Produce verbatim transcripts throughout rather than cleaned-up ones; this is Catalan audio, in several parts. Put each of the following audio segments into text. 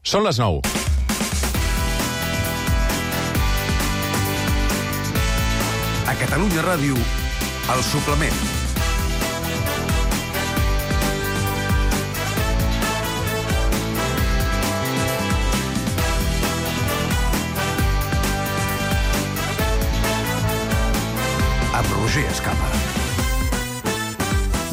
Són les nou. A Catalunya Ràdio, El Suplement. Amb Roger Escapa.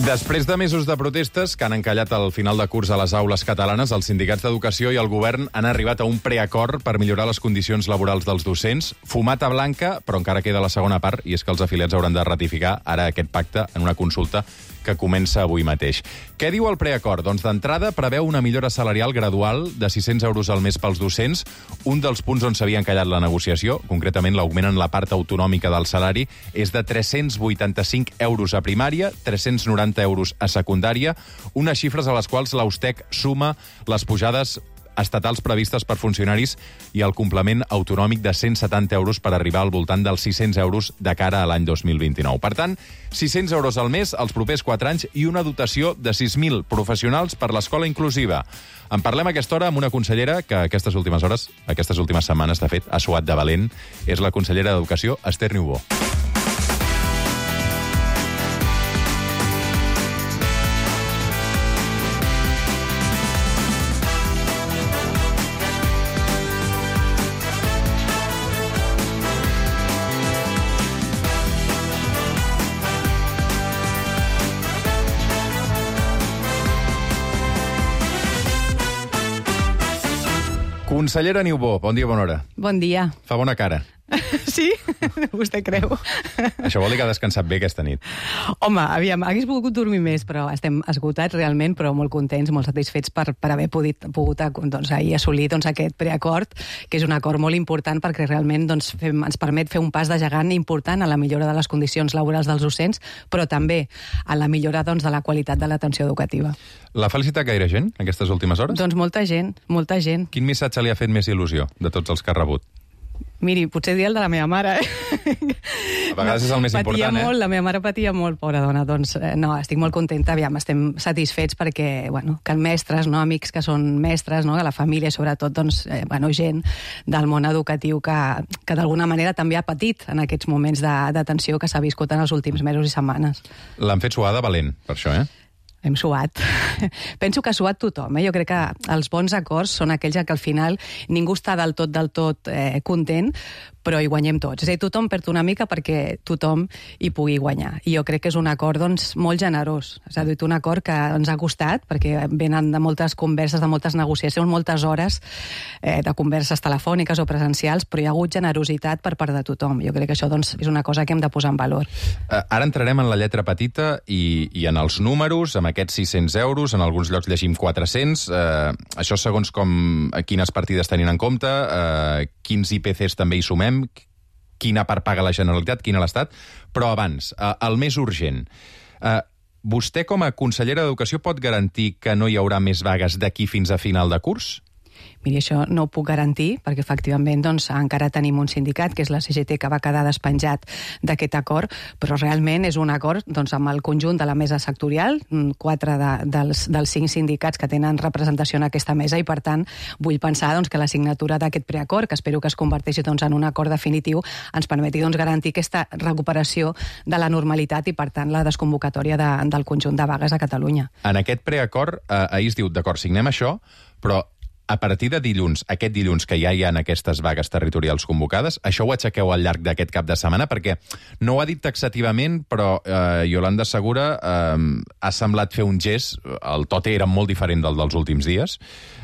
Després de mesos de protestes que han encallat el final de curs a les aules catalanes, els sindicats d'educació i el govern han arribat a un preacord per millorar les condicions laborals dels docents. Fumata blanca, però encara queda la segona part, i és que els afiliats hauran de ratificar ara aquest pacte en una consulta que comença avui mateix. Què diu el preacord? Doncs d'entrada preveu una millora salarial gradual de sis-cents euros al mes pels docents. Un dels punts on s'havia encallat la negociació, concretament l'augment en la part autonòmica del salari, és de tres-cents vuitanta-cinc euros a primària, tres-cents noranta euros a secundària, unes xifres a les quals l'Austec suma les pujades estatals previstes per funcionaris i el complement autonòmic de cent setanta euros per arribar al voltant dels sis-cents euros de cara a l'any dos mil vint-i-nou. Per tant, sis-cents euros al mes els propers quatre anys i una dotació de sis mil professionals per l'escola inclusiva. En parlem a aquesta hora amb una consellera que aquestes últimes hores, aquestes últimes setmanes, de fet, ha suat de valent. És la consellera d'Educació, Esther Niubó. Consellera Niubó, bon dia, bona hora. Bon dia. Fa bona cara. Sí? Vostè creu? Això vol dir que ha descansat bé aquesta nit. Home, aviam, hagués pogut dormir més, però estem esgotats realment, però molt contents, molt satisfets per, per haver pogut, pogut doncs, ahir assolir doncs, aquest preacord, que és un acord molt important perquè realment doncs, fem, ens permet fer un pas de gegant important a la millora de les condicions laborals dels docents, però també a la millora doncs, de la qualitat de l'atenció educativa. L'ha felicitat gaire gent aquestes últimes hores? Doncs molta gent, molta gent. Quin missatge li ha fet més il·lusió de tots els que ha rebut? Miri, potser dir el de la meva mare. A vegades és el més patia important, eh? Molt, la meva mare patia molt, pobra dona. Doncs eh, no, estic molt contenta, aviam, estem satisfets perquè, bueno, que mestres, no, amics que són mestres, no, que la família, sobretot, doncs, eh, bueno, gent del món educatiu que, que d'alguna manera també ha patit en aquests moments de, de tensió que s'ha viscut en els últims mesos i setmanes. L'han fet suar de valent, per això, eh? Hem suat. Penso que ha suat tothom. Eh? Jo crec que els bons acords són aquells que al final ningú està del tot, del tot eh, content, però hi guanyem tots. És a dir, tothom perd una mica perquè tothom hi pugui guanyar. I jo crec que és un acord doncs, molt generós. És a dir, un acord que ens ha costat, perquè venen de moltes converses, de moltes negociacions, moltes hores eh, de converses telefòniques o presencials, però hi ha hagut generositat per part de tothom. Jo crec que això doncs, és una cosa que hem de posar en valor. Uh, ara entrarem en la lletra petita i, i en els números, amb aquests sis-cents euros, en alguns llocs llegim quatre-cents. Uh, això segons com, quines partides tenim en compte, uh, quins I P Cs també hi sumem, quina part paga la Generalitat, quina l'Estat, però abans, uh, el més urgent. Uh, vostè, com a consellera d'Educació, pot garantir que no hi haurà més vagues d'aquí fins a final de curs? Miri, això no ho puc garantir, perquè efectivament doncs, encara tenim un sindicat, que és la C G T, que va quedar despenjat d'aquest acord, però realment és un acord doncs, amb el conjunt de la mesa sectorial, quatre de, dels, dels cinc sindicats que tenen representació en aquesta mesa, i per tant vull pensar doncs, que la signatura d'aquest preacord, que espero que es converteixi doncs, en un acord definitiu, ens permeti doncs, garantir aquesta recuperació de la normalitat i per tant la desconvocatòria de, del conjunt de vagues a Catalunya. En aquest preacord, eh, ahir es diu, d'acord, signem això, però a partir de dilluns, aquest dilluns que ja hi ha aquestes vagues territorials convocades, això ho aixequeu al llarg d'aquest cap de setmana? Perquè no ho ha dit taxativament, però eh, Yolanda Segura eh, ha semblat fer un gest, el to era molt diferent del dels últims dies,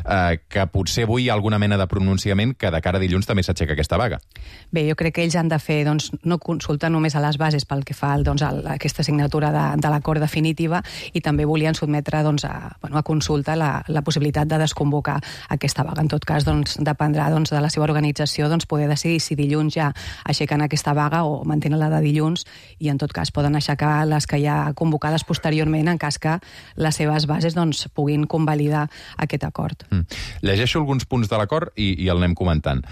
eh, que potser avui hi ha alguna mena de pronunciament que de cara a dilluns també s'aixeca aquesta vaga. Bé, jo crec que ells han de fer, doncs, no consultar només a les bases pel que fa doncs, a aquesta signatura de, de l'acord definitiva, i també volien sotmetre doncs, a, bueno, a consulta la, la possibilitat de desconvocar aquesta vaga. En tot cas, doncs, dependrà doncs, de la seva organització doncs, poder decidir si dilluns ja aixequen aquesta vaga o mantenen la de dilluns, i en tot cas poden aixecar les que ja convocades posteriorment en cas que les seves bases doncs, puguin convalidar aquest acord. Mm. Llegeixo alguns punts de l'acord i, i el anem comentant.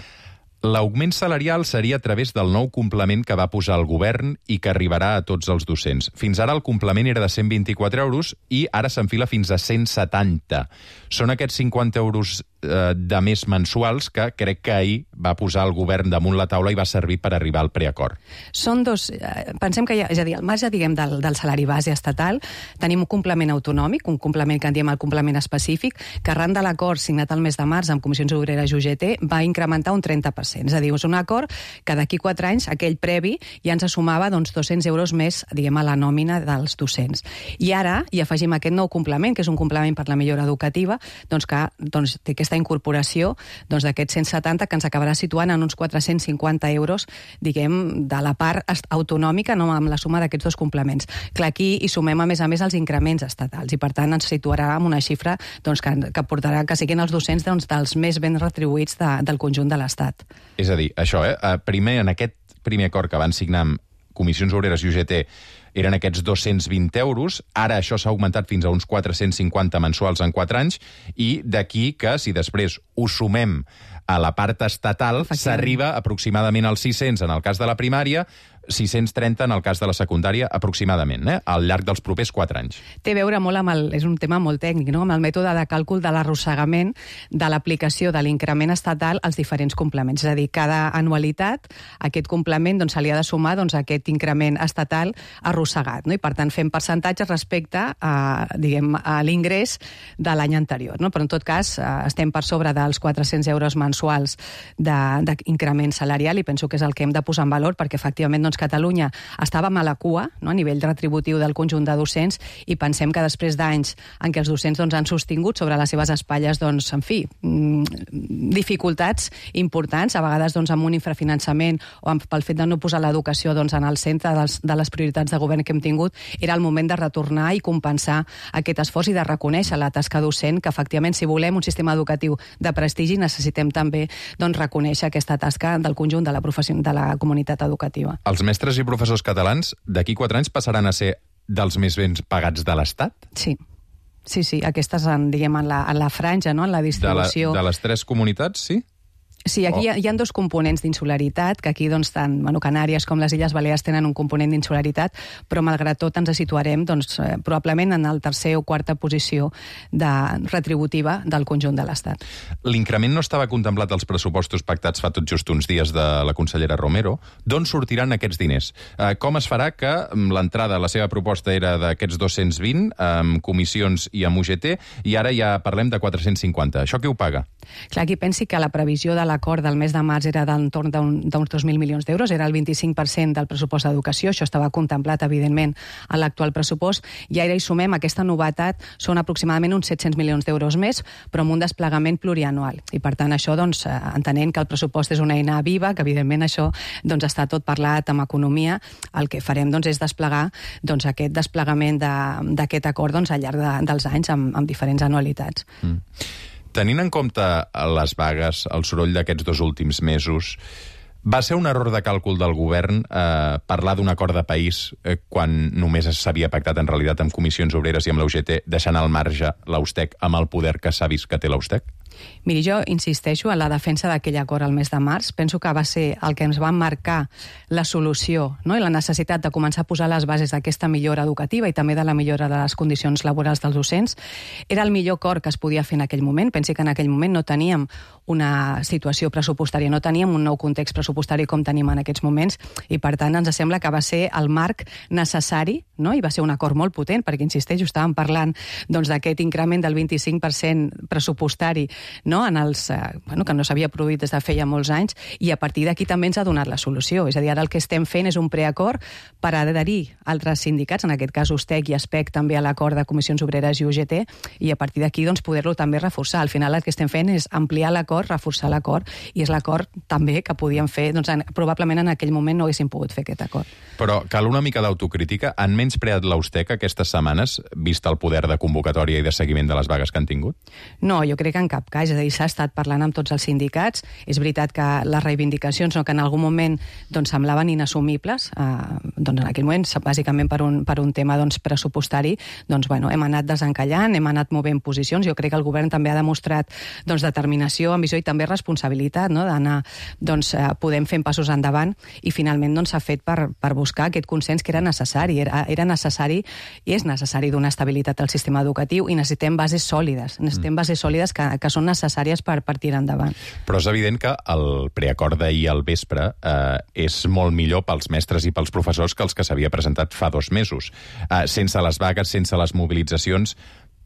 L'augment salarial seria a través del nou complement que va posar el govern i que arribarà a tots els docents. Fins ara el complement era de cent vint-i-quatre euros i ara s'enfila fins a cent setanta. Són aquests cinquanta euros eh, de més mensuals que crec que ahir va posar el govern damunt la taula i va servir per arribar al preacord. Són dos... Eh, pensem que hi ha... És a dir, al marge, diguem, del, del salari base estatal, tenim un complement autonòmic, un complement que en diem el complement específic, que arran de l'acord signat el mes de març amb Comissions Obreres i U G T va incrementar un trenta per cent. És a dir, és un acord que d'aquí quatre anys, aquell previ, ja ens sumava doncs, dos-cents euros més, diguem, a la nòmina dels docents. I ara hi afegim aquest nou complement, que és un complement per la millora educativa, doncs que doncs, té aquesta incorporació doncs, d'aquests cent setanta que ens acabarà situant en uns quatre-cents cinquanta euros, diguem, de la part autonòmica, no amb la suma d'aquests dos complements. Clar, aquí hi sumem, a més a més, els increments estatals i, per tant, ens situarà en una xifra doncs, que, que portarà que siguin els docents doncs, dels més ben retribuïts de, del conjunt de l'Estat. És a dir, això, eh? Primer, en aquest primer acord que van signar amb Comissions Obreres i U G T eren aquests dos-cents vint euros, ara això s'ha augmentat fins a uns quatre-cents cinquanta mensuals en quatre anys, i d'aquí que, si després ho sumem a la part estatal, s'arriba aproximadament als sis-cents en el cas de la primària, sis-cents trenta en el cas de la secundària, aproximadament, eh? al llarg dels propers quatre anys. Té a veure molt amb el... És un tema molt tècnic, no? Amb el mètode de càlcul de l'arrossegament de l'aplicació de l'increment estatal als diferents complements. És a dir, cada anualitat, aquest complement doncs, se li ha de sumar doncs, aquest increment estatal arrossegat, no? I, per tant, fem percentatges respecte a, diguem, a l'ingrés de l'any anterior, no? Però, en tot cas, estem per sobre dels quatre-cents euros mensuals d'increment salarial i penso que és el que hem de posar en valor perquè, efectivament, doncs, Catalunya estàvem a la cua, no?, a nivell retributiu del conjunt de docents, i pensem que després d'anys en què els docents doncs, han sostingut sobre les seves espatlles, doncs, en fi, dificultats importants, a vegades doncs, amb un infrafinançament o amb, pel fet de no posar l'educació doncs, en el centre dels, de les prioritats de govern que hem tingut, era el moment de retornar i compensar aquest esforç i de reconèixer la tasca docent, que efectivament, si volem un sistema educatiu de prestigi, necessitem també doncs, reconèixer aquesta tasca del conjunt de la, professió, de la comunitat educativa. Els mestres i professors catalans d'aquí quatre anys passaran a ser dels més ben pagats de l'Estat? Sí. Sí, sí, aquestes, en, diguem, en la, en la franja, no?, en la distribució... De, la, de les tres comunitats, sí? Sí, aquí oh. hi, ha, hi ha dos components d'insularitat, que aquí doncs, tant bueno, Canàries com les Illes Balears tenen un component d'insularitat, però malgrat tot ens situarem doncs, eh, probablement en el tercer o quarta posició de retributiva del conjunt de l'Estat. L'increment no estava contemplat als pressupostos pactats fa tot just uns dies de la consellera Romero. D'on sortiran aquests diners? Eh, com es farà que l'entrada, la seva proposta era d'aquests dos-cents vint, amb comissions i amb U G T, i ara ja parlem de quatre-cents cinquanta? Això qui ho paga? Clar, aquí pensi que la previsió de l'acord del mes de març era d'entorn d'uns dos mil milions d'euros, era el vint-i-cinc per cent del pressupost d'educació, això estava contemplat, evidentment, a l'actual pressupost, i ara hi sumem aquesta novetat, són aproximadament uns set-cents milions d'euros més, però amb un desplegament plurianual. I, per tant, això, doncs, entenent que el pressupost és una eina viva, que, evidentment, això doncs, està tot parlat amb economia, el que farem doncs, és desplegar doncs, aquest desplegament d'aquest acord doncs, al llarg de, dels anys amb, amb diferents anualitats. Mm. Tenint en compte les vagues, el soroll d'aquests dos últims mesos, va ser un error de càlcul del govern eh, parlar d'un acord de país eh, quan només s'havia pactat en realitat amb Comissions Obreres i amb la U G T, deixant al marge l'Austec amb el poder que s'ha vist que té l'Austec? Miri, jo insisteixo en la defensa d'aquell acord al mes de març. Penso que va ser el que ens va marcar la solució, no?, i la necessitat de començar a posar les bases d'aquesta millora educativa i també de la millora de les condicions laborals dels docents. Era el millor acord que es podia fer en aquell moment. Pensi que en aquell moment no teníem una situació pressupostària, no teníem un nou context pressupostari com tenim en aquests moments, i per tant ens sembla que va ser el marc necessari, no?, i va ser un acord molt potent, perquè, insisteixo, estàvem parlant doncs, d'aquest increment del vint-i-cinc per cent pressupostari, no?, en els, eh, bueno, que no s'havia produït des de feia molts anys, i a partir d'aquí també ens ha donat la solució. És a dir, ara el que estem fent és un preacord per adherir altres sindicats, en aquest cas Ustec i Aspec, també a l'acord de Comissions Obreres i U G T, i a partir d'aquí doncs, poder-lo també reforçar. Al final el que estem fent és ampliar l'acord, reforçar l'acord, i és l'acord també que podíem fer, doncs en, probablement en aquell moment no haguéssim pogut fer aquest acord. Però cal una mica d'autocrítica. Han menyspreat l'Austec aquestes setmanes, vist el poder de convocatòria i de seguiment de les vagues que han tingut? No, jo crec que en cap cas. És a dir, s'ha estat parlant amb tots els sindicats. És veritat que les reivindicacions, no, que en algun moment doncs, semblaven inassumibles, eh, doncs en aquell moment, bàsicament per un, per un tema doncs, pressupostari, doncs, bueno, hem anat desencallant, hem anat movent posicions. Jo crec que el govern també ha demostrat doncs, determinació, ambiciosa visió i també responsabilitat, no? D'anar, doncs, eh, podem fent passos endavant i finalment doncs, s'ha fet per, per buscar aquest consens que era necessari. Era, era necessari i és necessari donar estabilitat al sistema educatiu i necessitem bases sòlides, necessitem bases sòlides que, que són necessàries per, per tirar endavant. Però és evident que el preacord d'ahir al vespre eh, és molt millor pels mestres i pels professors que els que s'havia presentat fa dos mesos. Eh, sense les vagues, sense les mobilitzacions,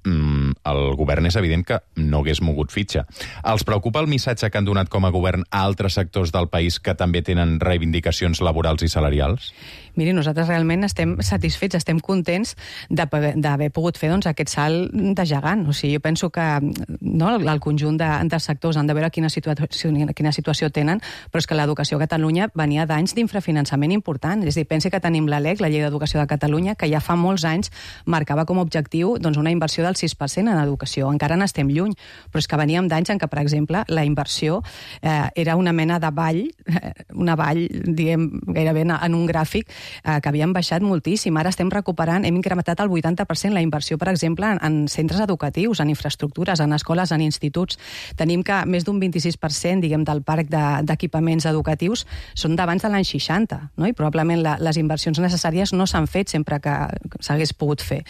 el govern és evident que no hagués mogut fitxa. Els preocupa el missatge que han donat com a govern a altres sectors del país que també tenen reivindicacions laborals i salarials? Miri, nosaltres realment estem satisfets, estem contents d'haver pogut fer doncs, aquest salt de gegant. O sigui, jo penso que no, el conjunt de, de sectors han de veure quina situació, quina situació tenen, però és que l'educació a Catalunya venia d'anys d'infrafinançament important. És a dir, pensi que tenim la L E C, la Llei d'Educació de Catalunya, que ja fa molts anys marcava com a objectiu doncs, una inversió del sis per cent en educació. Encara n'estem lluny, però és que veníem d'anys en què, per exemple, la inversió eh, era una mena de vall, una vall, diguem, gairebé en un gràfic, eh, que havíem baixat moltíssim. Ara estem recuperant, hem incrementat el vuitanta per cent la inversió, per exemple, en, en centres educatius, en infraestructures, en escoles, en instituts. Tenim que més d'un vint-i-sis per cent, diguem, del parc d'equipaments de, educatius són d'abans de l'any seixanta, no? I probablement la, les inversions necessàries no s'han fet sempre que s'hagués pogut fer.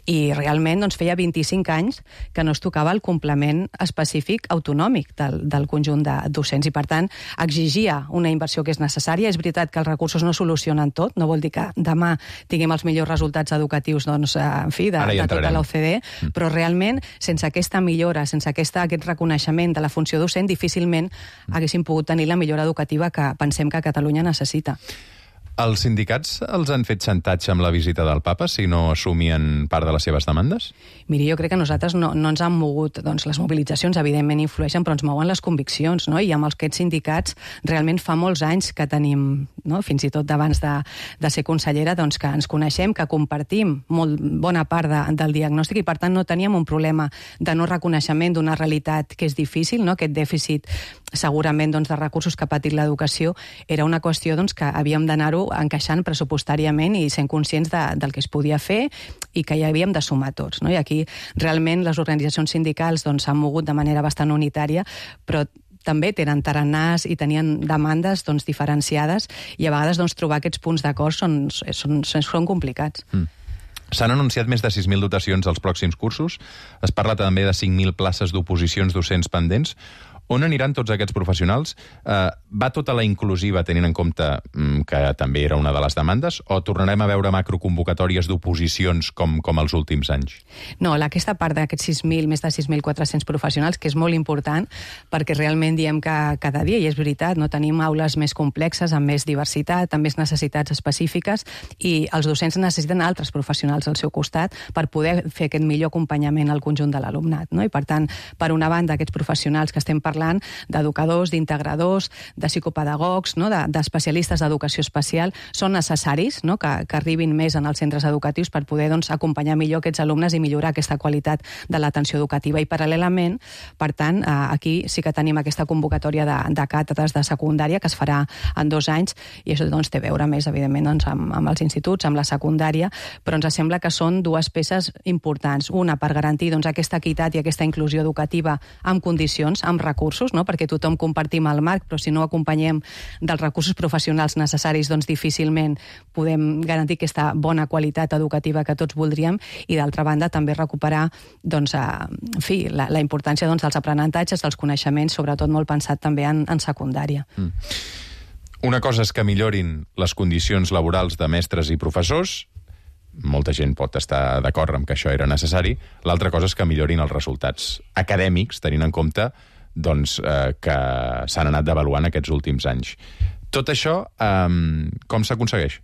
I realment doncs, feia vint-i-cinc anys que no es tocava el complement específic autonòmic del, del conjunt de docents i, per tant, exigia una inversió que és necessària. És veritat que els recursos no solucionen tot, no vol dir que demà tinguem els millors resultats educatius doncs, en fi, de, de tota l'O C D E, mm. però realment, sense aquesta millora, sense aquesta, aquest reconeixement de la funció docent, difícilment haguéssim pogut tenir la millora educativa que pensem que Catalunya necessita. Els sindicats els han fet xantatge amb la visita del papa si no assumien part de les seves demandes? Miri, jo crec que nosaltres no, no ens han mogut, doncs les mobilitzacions evidentment influeixen, però ens mouen les conviccions, no? I amb aquests sindicats realment fa molts anys que tenim, no? Fins i tot d'abans de, de ser consellera, doncs que ens coneixem, que compartim molt bona part de, del diagnòstic i per tant no teníem un problema de no reconeixement d'una realitat que és difícil, no? Aquest dèficit segurament doncs, de recursos que ha patit l'educació era una qüestió doncs, que havíem d'anar-ho encaixant pressupostàriament i sent conscients de, del que es podia fer i que hi havíem de sumar tots, no? I aquí realment les organitzacions sindicals doncs, s'han mogut de manera bastant unitària, però també tenen taranars i tenien demandes doncs, diferenciades i a vegades doncs, trobar aquests punts d'acord són, són, són, són complicats. Mm. S'han anunciat més de sis mil dotacions als pròxims cursos. Es parla també de cinc mil places d'oposicions docents pendents. On aniran tots aquests professionals? Eh, va tota la inclusiva tenint en compte mm, que també era una de les demandes o tornarem a veure macroconvocatòries d'oposicions com, com els últims anys? No, aquesta part d'aquests sis mil, més de sis mil quatre-cents professionals, que és molt important perquè realment diem que cada dia, i és veritat, no tenim aules més complexes, amb més diversitat, amb més necessitats específiques i els docents necessiten altres professionals al seu costat per poder fer aquest millor acompanyament al conjunt de l'alumnat, no? I per tant, per una banda, aquests professionals que estem parlant parlant d'educadors, d'integradors, de psicopedagogs, no? d'especialistes de, d'educació especial, són necessaris, no? que, que arribin més en els centres educatius per poder doncs, acompanyar millor aquests alumnes i millorar aquesta qualitat de l'atenció educativa. I paral·lelament, per tant, aquí sí que tenim aquesta convocatòria de, de càtedres de secundària que es farà en dos anys i això doncs, té a veure més, evidentment, doncs, amb, amb els instituts, amb la secundària, però ens sembla que són dues peces importants. Una, per garantir doncs, aquesta equitat i aquesta inclusió educativa amb condicions, amb recursos, no? Perquè tothom compartim el marc, però si no acompanyem dels recursos professionals necessaris, doncs difícilment podem garantir aquesta bona qualitat educativa que tots voldríem i d'altra banda també recuperar doncs, a, en fi, la, la importància doncs, dels aprenentatges, dels coneixements, sobretot molt pensat també en, en secundària. Mm. Una cosa és que millorin les condicions laborals de mestres i professors, molta gent pot estar d'acord amb que això era necessari, l'altra cosa és que millorin els resultats acadèmics, tenint en compte doncs, eh, que s'han anat devaluant aquests últims anys. Tot això, eh, com s'aconsegueix?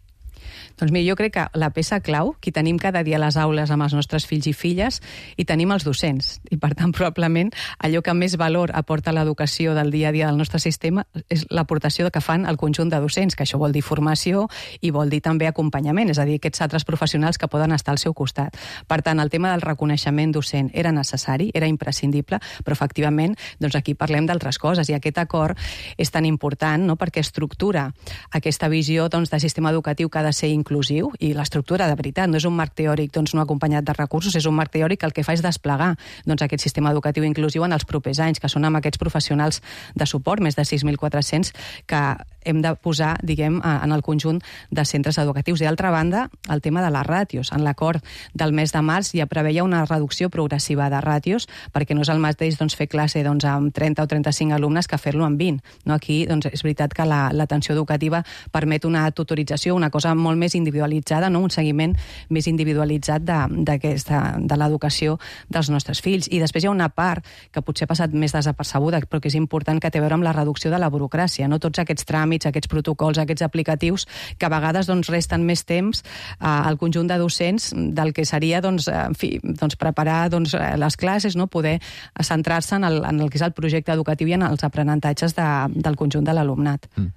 Doncs mira, jo crec que la peça clau, que tenim cada dia a les aules amb els nostres fills i filles, i tenim els docents. I per tant, probablement, allò que més valor aporta l'educació del dia a dia del nostre sistema és l'aportació que fan el conjunt de docents, que això vol dir formació i vol dir també acompanyament, és a dir, aquests altres professionals que poden estar al seu costat. Per tant, el tema del reconeixement docent era necessari, era imprescindible, però efectivament, doncs aquí parlem d'altres coses, i aquest acord és tan important, no?, perquè estructura aquesta visió doncs, de sistema educatiu que ha de ser inclusiu, inclusiu, i l'estructura de veritat no és un marc teòric doncs, no acompanyat de recursos, és un marc teòric que el que fa és desplegar doncs, aquest sistema educatiu inclusiu en els propers anys, que són amb aquests professionals de suport, més de sis mil quatre-cents, que hem de posar, diguem, en el conjunt de centres educatius. I d'altra banda, el tema de les ràtios. En l'acord del mes de març ja preveia una reducció progressiva de ràtios, perquè no és el mateix doncs, fer classe doncs, amb trenta o trenta-cinc alumnes que fer-lo amb vint. No? Aquí doncs, és veritat que l'atenció educativa permet una tutorització, una cosa molt més individualitzada, no? Un seguiment més individualitzat de, de l'educació dels nostres fills. I després hi ha una part que potser ha passat més desapercebuda, però que és important, que té a veure amb la reducció de la burocràcia. No? Tots aquests tràmits, aquests protocols, aquests aplicatius, que a vegades doncs, resten més temps eh, al conjunt de docents del que seria doncs, en fi, doncs, preparar doncs, les classes, no? Poder centrar-se en, el, en el que és el projecte educatiu i en els aprenentatges de, del conjunt de l'alumnat. Mm.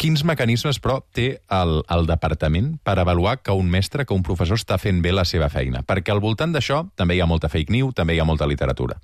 Quins mecanismes, però, té el, el departament per avaluar que un mestre, que un professor està fent bé la seva feina? Perquè al voltant d'això també hi ha molta fake news, també hi ha molta literatura.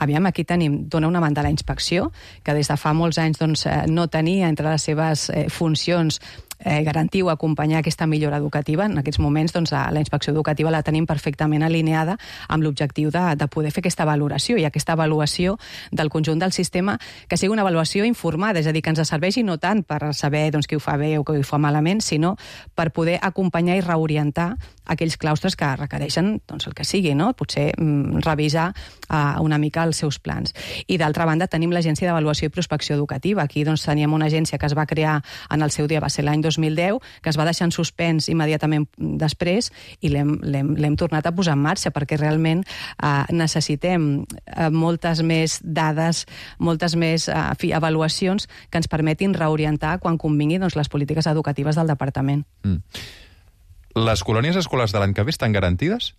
Aviam, aquí tenim, dona una banda a la inspecció, que des de fa molts anys doncs, no tenia entre les seves eh, funcions eh, garantir o acompanyar aquesta millora educativa. En aquests moments doncs, la, la inspecció educativa la tenim perfectament alineada amb l'objectiu de, de poder fer aquesta valoració i aquesta avaluació del conjunt del sistema, que sigui una avaluació informada, és a dir, que ens serveixi no tant per saber doncs, qui ho fa bé o qui ho fa malament, sinó per poder acompanyar i reorientar aquells claustres que requereixen doncs, el que sigui, no? Potser mm, revisar uh, una mica els seus plans. I d'altra banda tenim l'Agència d'Avaluació i Prospecció Educativa. Aquí doncs, teníem una agència que es va crear en el seu dia, va ser l'any dos mil deu, que es va deixar en suspens immediatament després i l'hem tornat a posar en marxa perquè realment uh, necessitem uh, moltes més dades, moltes més uh, fi, avaluacions que ens permetin reorientar quan convingui doncs, les polítiques educatives del departament. Mm. Les colònies escolars de l'any que ve estan garantides?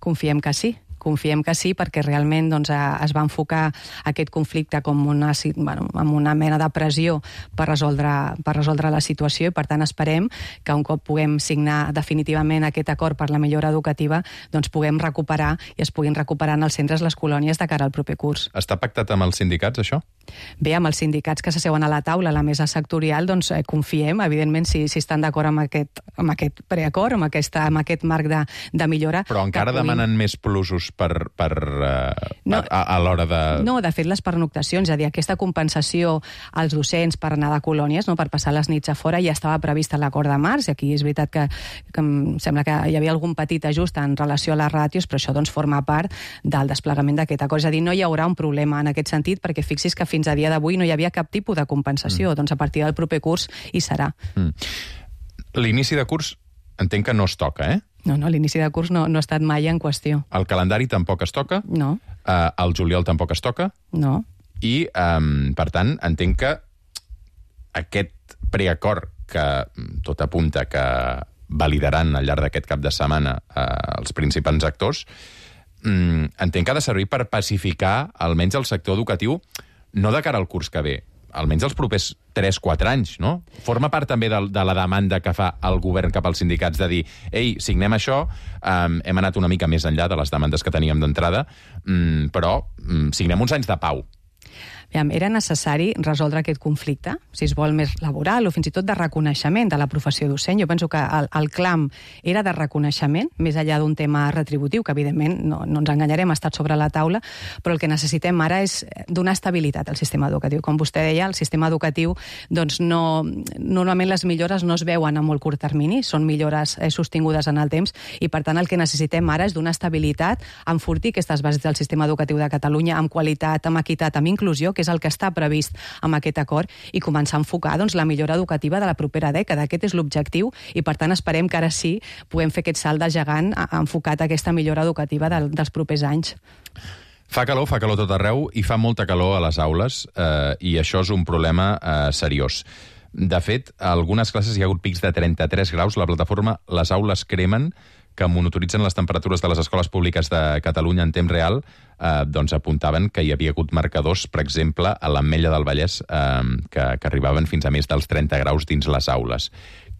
Confiem que sí. Confiem que sí, perquè realment doncs, es va enfocar aquest conflicte com una, bueno, amb una mena de pressió per resoldre, per resoldre la situació i, per tant, esperem que un cop puguem signar definitivament aquest acord per la millora educativa, doncs puguem recuperar i es puguin recuperar en els centres les colònies de cara al proper curs. Està pactat amb els sindicats, això? Bé, amb els sindicats que s'asseuen a la taula, a la mesa sectorial, doncs eh, confiem, evidentment, si, si estan d'acord amb aquest, amb aquest preacord, amb, aquesta, amb aquest marc de, de millora. Però encara puguin... demanen més plusos per, per, uh, no, per a, a l'hora de... No, de fet, les pernoctacions, és a dir, aquesta compensació als docents per anar de colònies, no, per passar les nits a fora, ja estava prevista a l'acord de març, i aquí és veritat que, que em sembla que hi havia algun petit ajust en relació a les ràtios, però això doncs, forma part del desplegament d'aquest acord. És a dir, no hi haurà un problema en aquest sentit, perquè fixis que fins a dia d'avui no hi havia cap tipus de compensació, mm. doncs a partir del proper curs hi serà. Mm. L'inici de curs entenc que no es toca, eh? No, no, l'inici de curs no, no ha estat mai en qüestió. El calendari tampoc es toca? No. Uh, el juliol tampoc es toca? No. I, um, per tant, entenc que aquest preacord que tot apunta que validaran al llarg d'aquest cap de setmana uh, els principals actors, um, entenc que ha de servir per pacificar almenys el sector educatiu, no de cara al curs que ve, almenys els propers tres quatre anys, no? Forma part també de, de la demanda que fa el govern cap als sindicats de dir, ei, signem això, um, hem anat una mica més enllà de les demandes que teníem d'entrada, um, però um, signem uns anys de pau. Era necessari resoldre aquest conflicte, si es vol més laboral o fins i tot de reconeixement de la professió docent. Jo penso que el, el clam era de reconeixement, més enllà d'un tema retributiu, que evidentment no, no ens enganyarem, ha estat sobre la taula, però el que necessitem ara és donar estabilitat al sistema educatiu. Com vostè deia, el sistema educatiu, doncs no, normalment les millores no es veuen a molt curt termini, són millores eh, sostingudes en el temps, i per tant el que necessitem ara és donar estabilitat, enfortir aquestes bases del sistema educatiu de Catalunya amb qualitat, amb equitat, amb inclusió, que és el que està previst amb aquest acord, i començar a enfocar doncs, la millora educativa de la propera dècada. Aquest és l'objectiu i, per tant, esperem que ara sí puguem fer aquest salt de gegant enfocat a aquesta millora educativa del, dels propers anys. Fa calor, fa calor tot arreu i fa molta calor a les aules eh, i això és un problema eh, seriós. De fet, a algunes classes hi ha hagut pics de trenta-tres graus. La plataforma Les Aules Cremen, que monitoritzen les temperatures de les escoles públiques de Catalunya en temps real, eh, doncs apuntaven que hi havia hagut marcadors, per exemple, a l'Ametlla del Vallès, eh, que, que arribaven fins a més dels trenta graus dins les aules.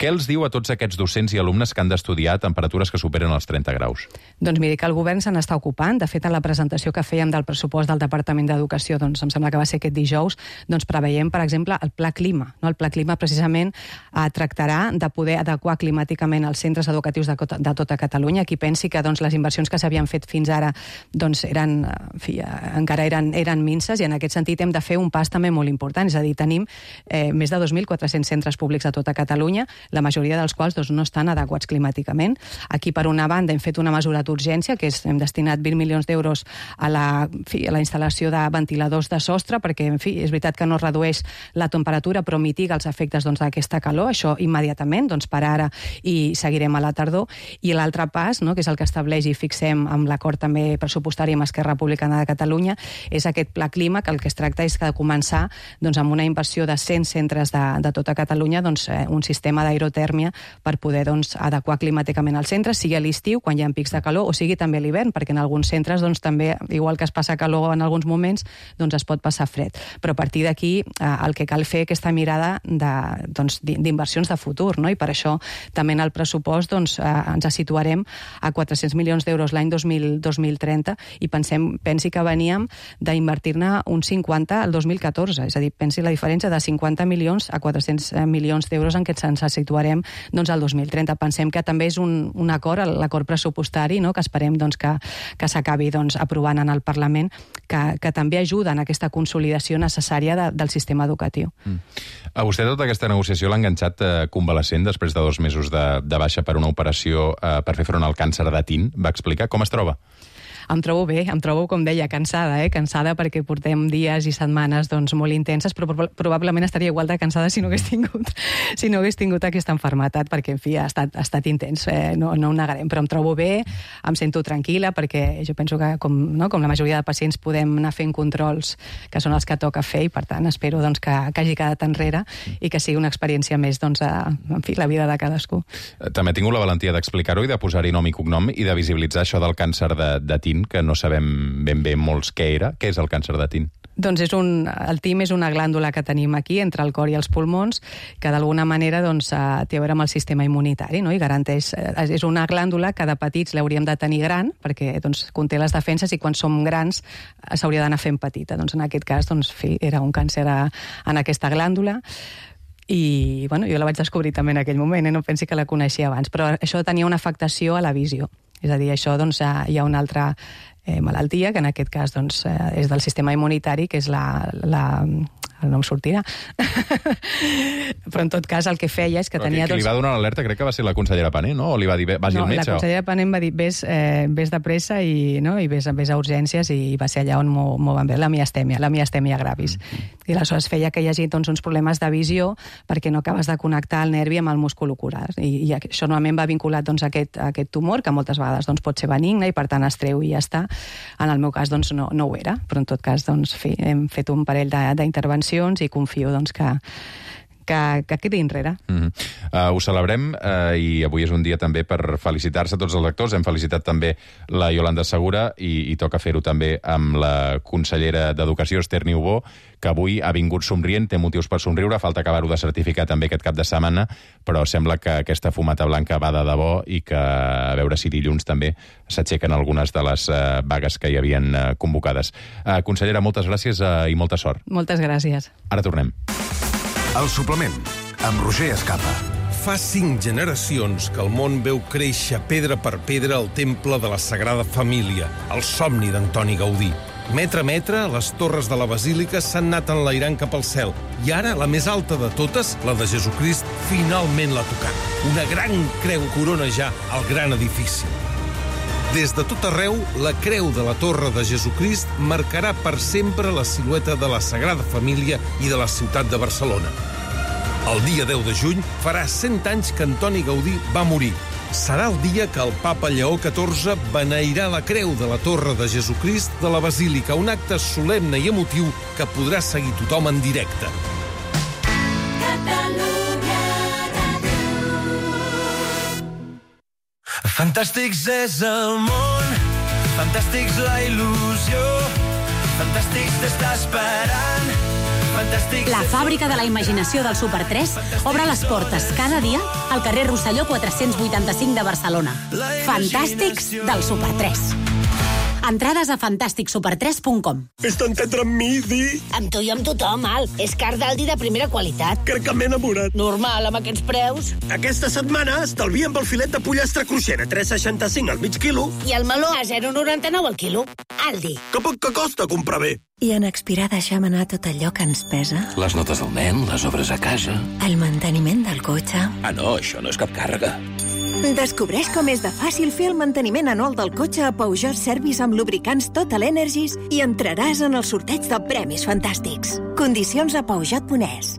Què els diu a tots aquests docents i alumnes que han d'estudiar a temperatures que superen els trenta graus? Doncs miri, que el govern se n'està ocupant. De fet, a la presentació que fèiem del pressupost del Departament d'Educació, doncs em sembla que va ser aquest dijous, doncs preveiem, per exemple, el Pla Clima. No? El Pla Clima precisament eh, tractarà de poder adequar climàticament els centres educatius de, de tota Catalunya. Qui pensi que doncs, les inversions que s'havien fet fins ara doncs, eren, en fi, encara eren, eren minces, i en aquest sentit hem de fer un pas també molt important. És a dir, tenim eh, més de dos mil quatre-cents centres públics a tota Catalunya, la majoria dels quals doncs, no estan adequats climàticament. Aquí, per una banda, hem fet una mesura d'urgència, que és, hem destinat vint milions d'euros a la, en fi, a la instal·lació de ventiladors de sostre, perquè, en fi, és veritat que no redueix la temperatura, però mitiga els efectes doncs, d'aquesta calor, això immediatament, doncs, per ara, i seguirem a la tardor. I l'altre pas, no, que és el que estableix i fixem amb l'acord també pressupostari amb Esquerra Republicana de Catalunya, és aquest Pla Clima, que el que es tracta és de començar doncs, amb una inversió de cent centres de, de tota Catalunya, doncs, un sistema d'aire aerotèrmia per poder doncs, adequar climàticament els centres, sigui a l'estiu, quan hi ha pics de calor, o sigui també a l'hivern, perquè en alguns centres doncs, també, igual que es passa calor en alguns moments, doncs es pot passar fred. Però a partir d'aquí eh, el que cal fer aquesta mirada d'inversions de, doncs, de futur, no? I per això també en el pressupost doncs, eh, ens situarem a quatre-cents milions d'euros l'any dos mil trenta, i pensem, pensi que veníem d'invertir-ne un cinquanta al dos mil catorze, és a dir, pensi la diferència de cinquanta milions a quatre-cents milions d'euros en què ens situarem doncs, al dos mil trenta. Pensem que també és un, un acord, l'acord pressupostari, no? Que esperem doncs, que, que s'acabi doncs, aprovant en el Parlament, que, que també ajuda en aquesta consolidació necessària de, del sistema educatiu. Mm. A vostè tota aquesta negociació l'ha enganxat eh, convalescent després de dos mesos de, de baixa per una operació eh, per fer front al càncer de tin. Va explicar com es troba? Em trobo bé, em trobo, com deia, cansada, eh? cansada perquè portem dies i setmanes doncs, molt intenses, però probablement estaria igual de cansada si no hagués tingut, si no hagués tingut aquesta enfermetat, perquè, en fi, ha estat, ha estat intens, eh? no, no ho negarem, però em trobo bé, em sento tranquil·la, perquè jo penso que, com, no, com la majoria de pacients, podem anar fent controls que són els que toca fer, i per tant espero doncs, que, que hagi quedat enrere i que sigui una experiència més doncs, a, en fi, la vida de cadascú. També he tingut la valentia d'explicar-ho i de posar-hi nom i cognom i de visibilitzar això del càncer de, de tin, que no sabem ben bé molts què era. Què és el càncer de tin? Doncs és un, el tim és una glàndula que tenim aquí, entre el cor i els pulmons, que d'alguna manera doncs, té a veure amb el sistema immunitari, no? I garanteix, és una glàndula que de petits l'hauríem de tenir gran, perquè doncs, conté les defenses, i quan som grans s'hauria d'anar fent petita. Doncs, en aquest cas doncs, fi, era un càncer a, en aquesta glàndula. I bueno, jo la vaig descobrir també en aquell moment, eh? No pensi que la coneixia abans, però això tenia una afectació a la visió. És a dir, això doncs, hi ha una altra eh, malaltia, que en aquest cas doncs, eh, és del sistema immunitari, que és la... la el nom sortirà. Però en tot cas el que feia és que Però tenia... Qui li va donar l'alerta crec que va ser la consellera Pané, no? O li va dir, vagi no, al metge? No, la consellera Pané em va dir, vés, eh, vés de pressa i, no? I vés, vés a urgències, i va ser allà on m'ho van veure, la miastèmia, la miastèmia gravis. Mm -hmm. I aleshores feia que hi hagi doncs, uns problemes de visió perquè no acabes de connectar el nervi amb el múscul ocular. I, i això normalment va vinculat doncs, a, aquest, a aquest tumor, que moltes vegades doncs, pot ser benigne i per tant es treu i ja està. En el meu cas doncs, no, no ho era, però en tot cas doncs, fi, hem fet un parell d'intervencions i confio doncs, que, que, que quedi enrere. Mm -hmm. uh, ho celebrem uh, i avui és un dia també per felicitar-se a tots els lectors. Hem felicitat també la Iolanda Segura i, i toca fer-ho també amb la consellera d'Educació, Esther Niubó, que avui ha vingut somrient, té motius per somriure, falta acabar-ho de certificar també aquest cap de setmana, però sembla que aquesta fumata blanca va de debò i que a veure si dilluns també s'aixequen algunes de les uh, vagues que hi havien uh, convocades. Uh, consellera, moltes gràcies uh, i molta sort. Moltes gràcies. Ara tornem. El suplement, amb Roger Escapa. Fa cinc generacions que el món veu créixer pedra per pedra el temple de la Sagrada Família, el somni d'Antoni Gaudí. Metre a metre, les torres de la Basílica s'han anat enlairant cap al cel. I ara, la més alta de totes, la de Jesucrist, finalment l'ha tocat. Una gran creu corona ja el gran edifici. Des de tot arreu, la creu de la Torre de Jesucrist marcarà per sempre la silueta de la Sagrada Família i de la ciutat de Barcelona. El dia deu de juny farà cent anys que Antoni Gaudí va morir. Serà el dia que el papa Lleó catorze beneirà la creu de la Torre de Jesucrist de la Basílica, un acte solemne i emotiu que podrà seguir tothom en directe. Fantàstics és el món Fantàstics la il·lusió, Fantàstics t'està esperant. Fantàstics... La fàbrica de la imaginació del Super tres obre les portes cada dia al carrer Rosselló quatre-cents vuitanta-cinc de Barcelona. Fantàstics del Super tres. Entrades a fantàstic super tres punt com. Fes-te entendre amb mi, Di. Amb tu i amb tothom, Al. És car d'Aldi de primera qualitat. Crec que m'he enamorat. Normal, amb aquests preus. Aquesta setmana estalviem pel filet de pollastre cruixent a tres coma seixanta-cinc al mig quilo. I el meló a zero coma noranta-nou al quilo. Aldi. Que poc que costa comprar bé. I en expirar deixem anar tot allò que ens pesa. Les notes del nen, les obres a casa. El manteniment del cotxe. Ah, no, això no és cap càrrega. Descobreix com és de fàcil fer el manteniment anual del cotxe a Peugeot Service amb lubricants Total Energies i entraràs en el sorteig de premis fantàstics. Condicions a peugeot punt es.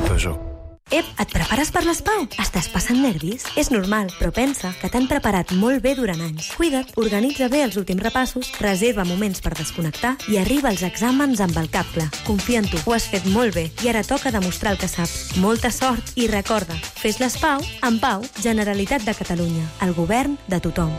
Peugeot. Ep, et prepares per les Pau? Estàs passant nervis? És normal, però pensa que t'han preparat molt bé durant anys. Cuida't, organitza bé els últims repassos, reserva moments per desconnectar i arriba als exàmens amb el cap clar. Confia en tu, ho has fet molt bé i ara toca demostrar el que saps. Molta sort i recorda, fes les Pau amb Pau, Generalitat de Catalunya, el govern de tothom.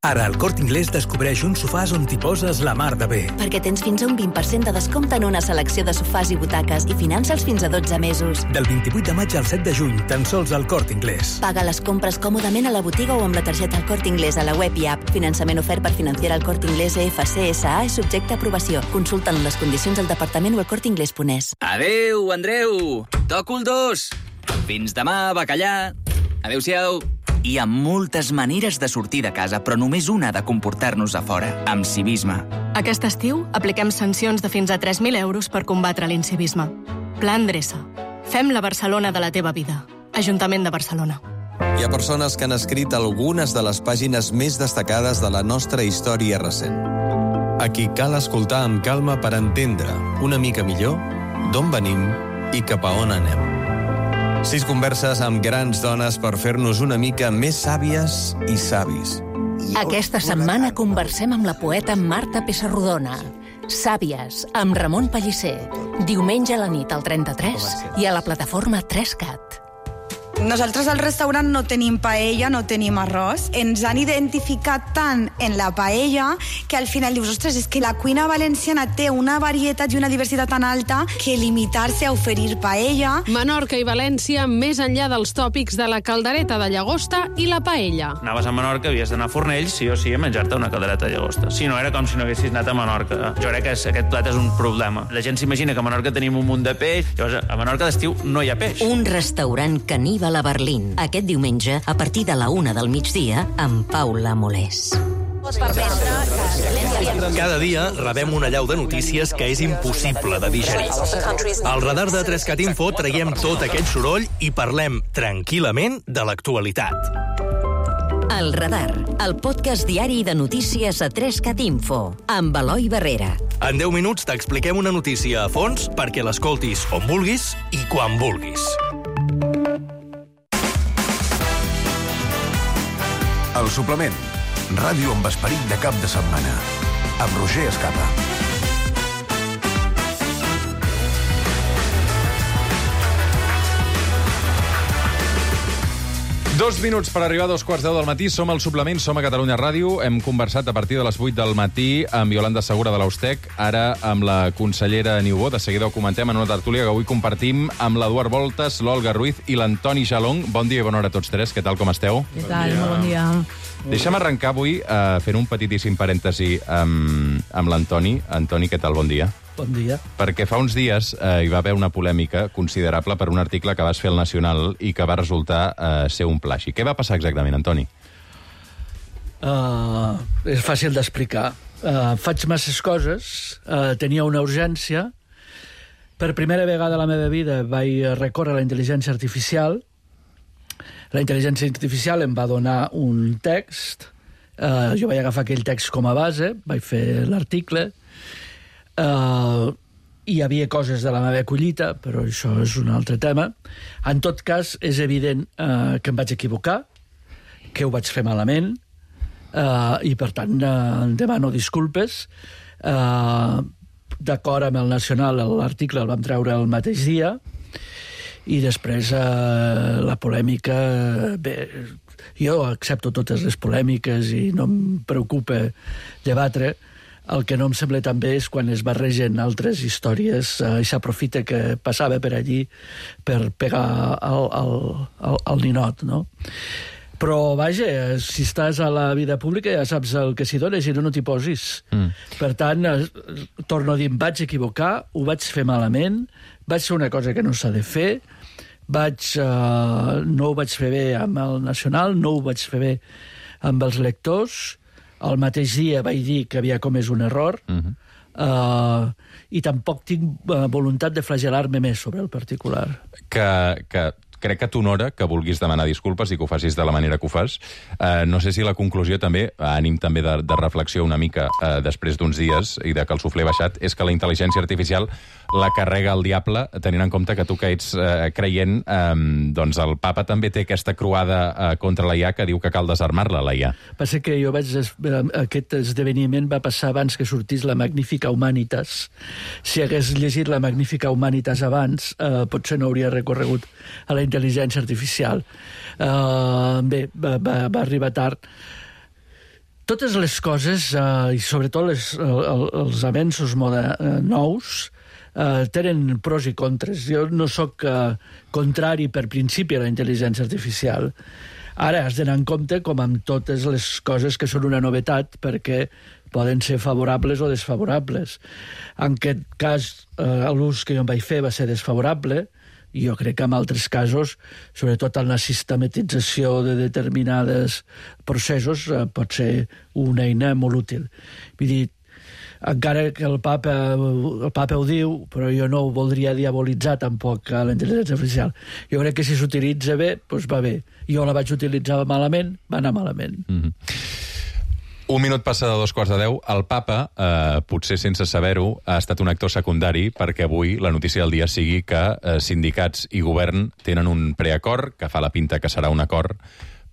Ara al Corte Inglés descobreix uns sofàs on t'hi poses la mar de bé. Perquè tens fins a un vint per cent de descompte en una selecció de sofàs i butaques i finança'ls fins a dotze mesos. Del vint-i-vuit de maig al set de juny, tan sols al Corte Inglés. Paga les compres còmodament a la botiga o amb la targeta El Corte Inglés a la web i app. Finançament ofert per Financiera El Corte Inglés E F C S A és subjecte a aprovació. Consulta'n les condicions al departament o al corte inglés punt es. Adéu, Andreu! Toco el dos! Fins demà, bacallà! Adéu-siau! Hi ha moltes maneres de sortir de casa, però només una de comportar-nos a fora, amb civisme. Aquest estiu apliquem sancions de fins a tres mil euros per combatre l'incivisme. Pla Endreça. Fem la Barcelona de la teva vida. Ajuntament de Barcelona. Hi ha persones que han escrit algunes de les pàgines més destacades de la nostra història recent. A qui cal escoltar amb calma per entendre una mica millor d'on venim i cap a on anem. Sis converses amb grans dones per fer-nos una mica més sàvies i savis. Aquesta setmana conversem amb la poeta Marta Pessarrodona. Sàvies, amb Ramon Pellicer. Diumenge a la nit al trenta-tres i a la plataforma tres cat. Nosaltres al restaurant no tenim paella, no tenim arròs. Ens han identificat tant en la paella que al final dius, ostres, és que la cuina valenciana té una varietat i una diversitat tan alta que limitar-se a oferir paella... Menorca i València, més enllà dels tòpics de la caldereta de llagosta i la paella. Anaves a Menorca, havies d'anar a Fornells, sí o sí, a menjar-te una caldereta de llagosta. Si no, era com si no haguessis anat a Menorca. Jo crec que aquest plat és un problema. La gent s'imagina que a Menorca tenim un munt de peix, llavors a Menorca d'estiu no hi ha peix. Un restaurant caníbal a Berlín, aquest diumenge, a partir de la una del migdia, amb Paula Molés. Cada dia rebem una llau de notícies que és impossible de digerir. Al radar de tres cat Info traiem tot aquest soroll i parlem tranquil·lament de l'actualitat. El Radar, el podcast diari de notícies a tres cat Info, amb Eloi Barrera. En deu minuts t'expliquem una notícia a fons perquè l'escoltis on vulguis i quan vulguis. El suplement. Ràdio amb esperit de cap de setmana. Amb Roger Escapa. Dos minuts per arribar a dos quarts deu del matí. Som al suplement, som a Catalunya Ràdio. Hem conversat a partir de les vuit del matí amb Iolanda Segura de l'Austec, ara amb la consellera Niubó. De seguida ho comentem en una tertúlia que avui compartim amb l'Eduard Voltes, l'Olga Ruiz i l'Antoni Jalong. Bon dia i bona hora a tots tres. Què tal, com esteu? Què tal? Molt bon dia. Deixa'm arrencar avui uh, fent un petitíssim parèntesi amb, amb l'Antoni. Antoni, què tal? Bon dia. Bon dia. Perquè fa uns dies eh, hi va haver una polèmica considerable per un article que vas fer al Nacional i que va resultar eh, ser un plagi. Què va passar exactament, Antoni? Uh, és fàcil d'explicar. Uh, faig masses coses, uh, tenia una urgència. Per primera vegada a la meva vida vaig recórrer a la intel·ligència artificial. La intel·ligència artificial em va donar un text. Uh, jo vaig agafar aquell text com a base, vaig fer l'article. Uh, hi havia coses de la meva collita, però això és un altre tema. En tot cas, és evident uh, que em vaig equivocar, que ho vaig fer malament, uh, i per tant uh, demano disculpes. Uh, d'acord amb el Nacional, l'article el vam treure el mateix dia, I després eh, la polèmica... Bé, jo accepto totes les polèmiques i no em preocupa debatre. El que no em sembla també és quan es barregen altres històries eh, i s'aprofita que passava per allí per pegar al, al, al, al ninot, no? Però, vaja, si estàs a la vida pública ja saps el que s'hi dona, si no, no t'hi posis. Mm. Per tant, eh, torno a dir, em vaig equivocar, ho vaig fer malament, vaig fer una cosa que no s'ha de fer, vaig, eh, no ho vaig fer bé amb el Nacional, no ho vaig fer bé amb els lectors, el mateix dia vaig dir que havia comès un error, mm-hmm. eh, i tampoc tinc eh, voluntat de flagel·lar-me més sobre el particular. Que... que... Crec que t'honora que vulguis demanar disculpes i que ho facis de la manera que ho fas. Uh, no sé si la conclusió també, ànim també de, de reflexió una mica uh, després d'uns dies i de que el suflé baixat, és que la intel·ligència artificial la carrega el diable, tenint en compte que tu que ets uh, creient, um, doncs el papa també té aquesta croada uh, contra la I A que diu que cal desarmar-la, la I A. Passa que jo vaig... Aquest esdeveniment va passar abans que sortís la Magnifica Humanitas. Si hagués llegit la Magnifica Humanitas abans, uh, potser no hauria recorregut a la intel·ligència artificial. Uh, bé, va, va, va arribar tard. Totes les coses, uh, i sobretot les, uh, els avenços moda, uh, nous, uh, tenen pros i contres. Jo no sóc uh, contrari per principi a la intel·ligència artificial. Ara has d'anar en compte com amb totes les coses que són una novetat, perquè poden ser favorables o desfavorables. En aquest cas, uh, l'ús que jo em vaig fer va ser desfavorable, i jo crec que en altres casos, sobretot en la sistematització de determinades processos, eh, pot ser una eina molt útil. Vull dir, encara que el papa, el papa ho diu, però jo no ho voldria diabolitzar tampoc a la intel·ligència artificial. Jo crec que si s'utilitza bé, doncs va bé. Jo la vaig utilitzar malament, va anar malament. Mm-hmm. Un minut passa de dos quarts de deu. El papa, eh, potser sense saber-ho, ha estat un actor secundari perquè avui la notícia del dia sigui que eh, sindicats i govern tenen un preacord, que fa la pinta que serà un acord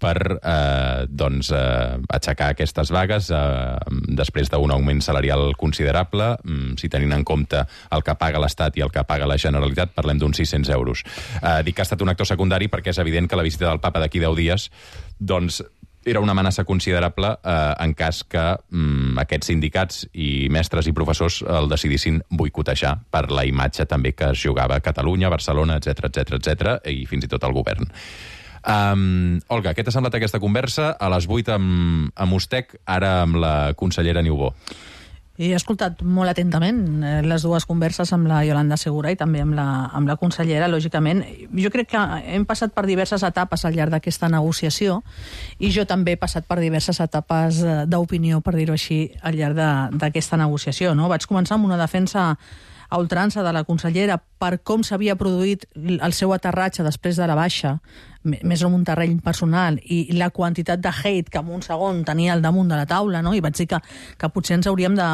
per eh, doncs, eh, aixecar aquestes vagues eh, després d'un augment salarial considerable, mm, si tenint en compte el que paga l'Estat i el que paga la Generalitat, parlem d'uns sis-cents euros. Eh, dic que ha estat un actor secundari perquè és evident que la visita del papa d'aquí deu dies doncs, era una amenaça considerable eh, en cas que mm, aquests sindicats i mestres i professors el decidissin boicotejar per la imatge també que es jugava a Catalunya, Barcelona, etcètera, etcètera, etcètera, i fins i tot el govern. Um, Olga, què t'ha semblat aquesta conversa? A les vuit amb, amb Ustec, ara amb la consellera Niubó. He escoltat molt atentament les dues converses amb la Iolanda Segura i també amb la, amb la consellera, lògicament. Jo crec que hem passat per diverses etapes al llarg d'aquesta negociació i jo també he passat per diverses etapes d'opinió, per dir-ho així, al llarg d'aquesta negociació. No? Vaig començar amb una defensa a ultrança de la consellera per com s'havia produït el seu aterratge després de la baixa, més en un terreny personal, i la quantitat de hate que en un segon tenia al damunt de la taula, no? I vaig dir que, que potser ens hauríem de,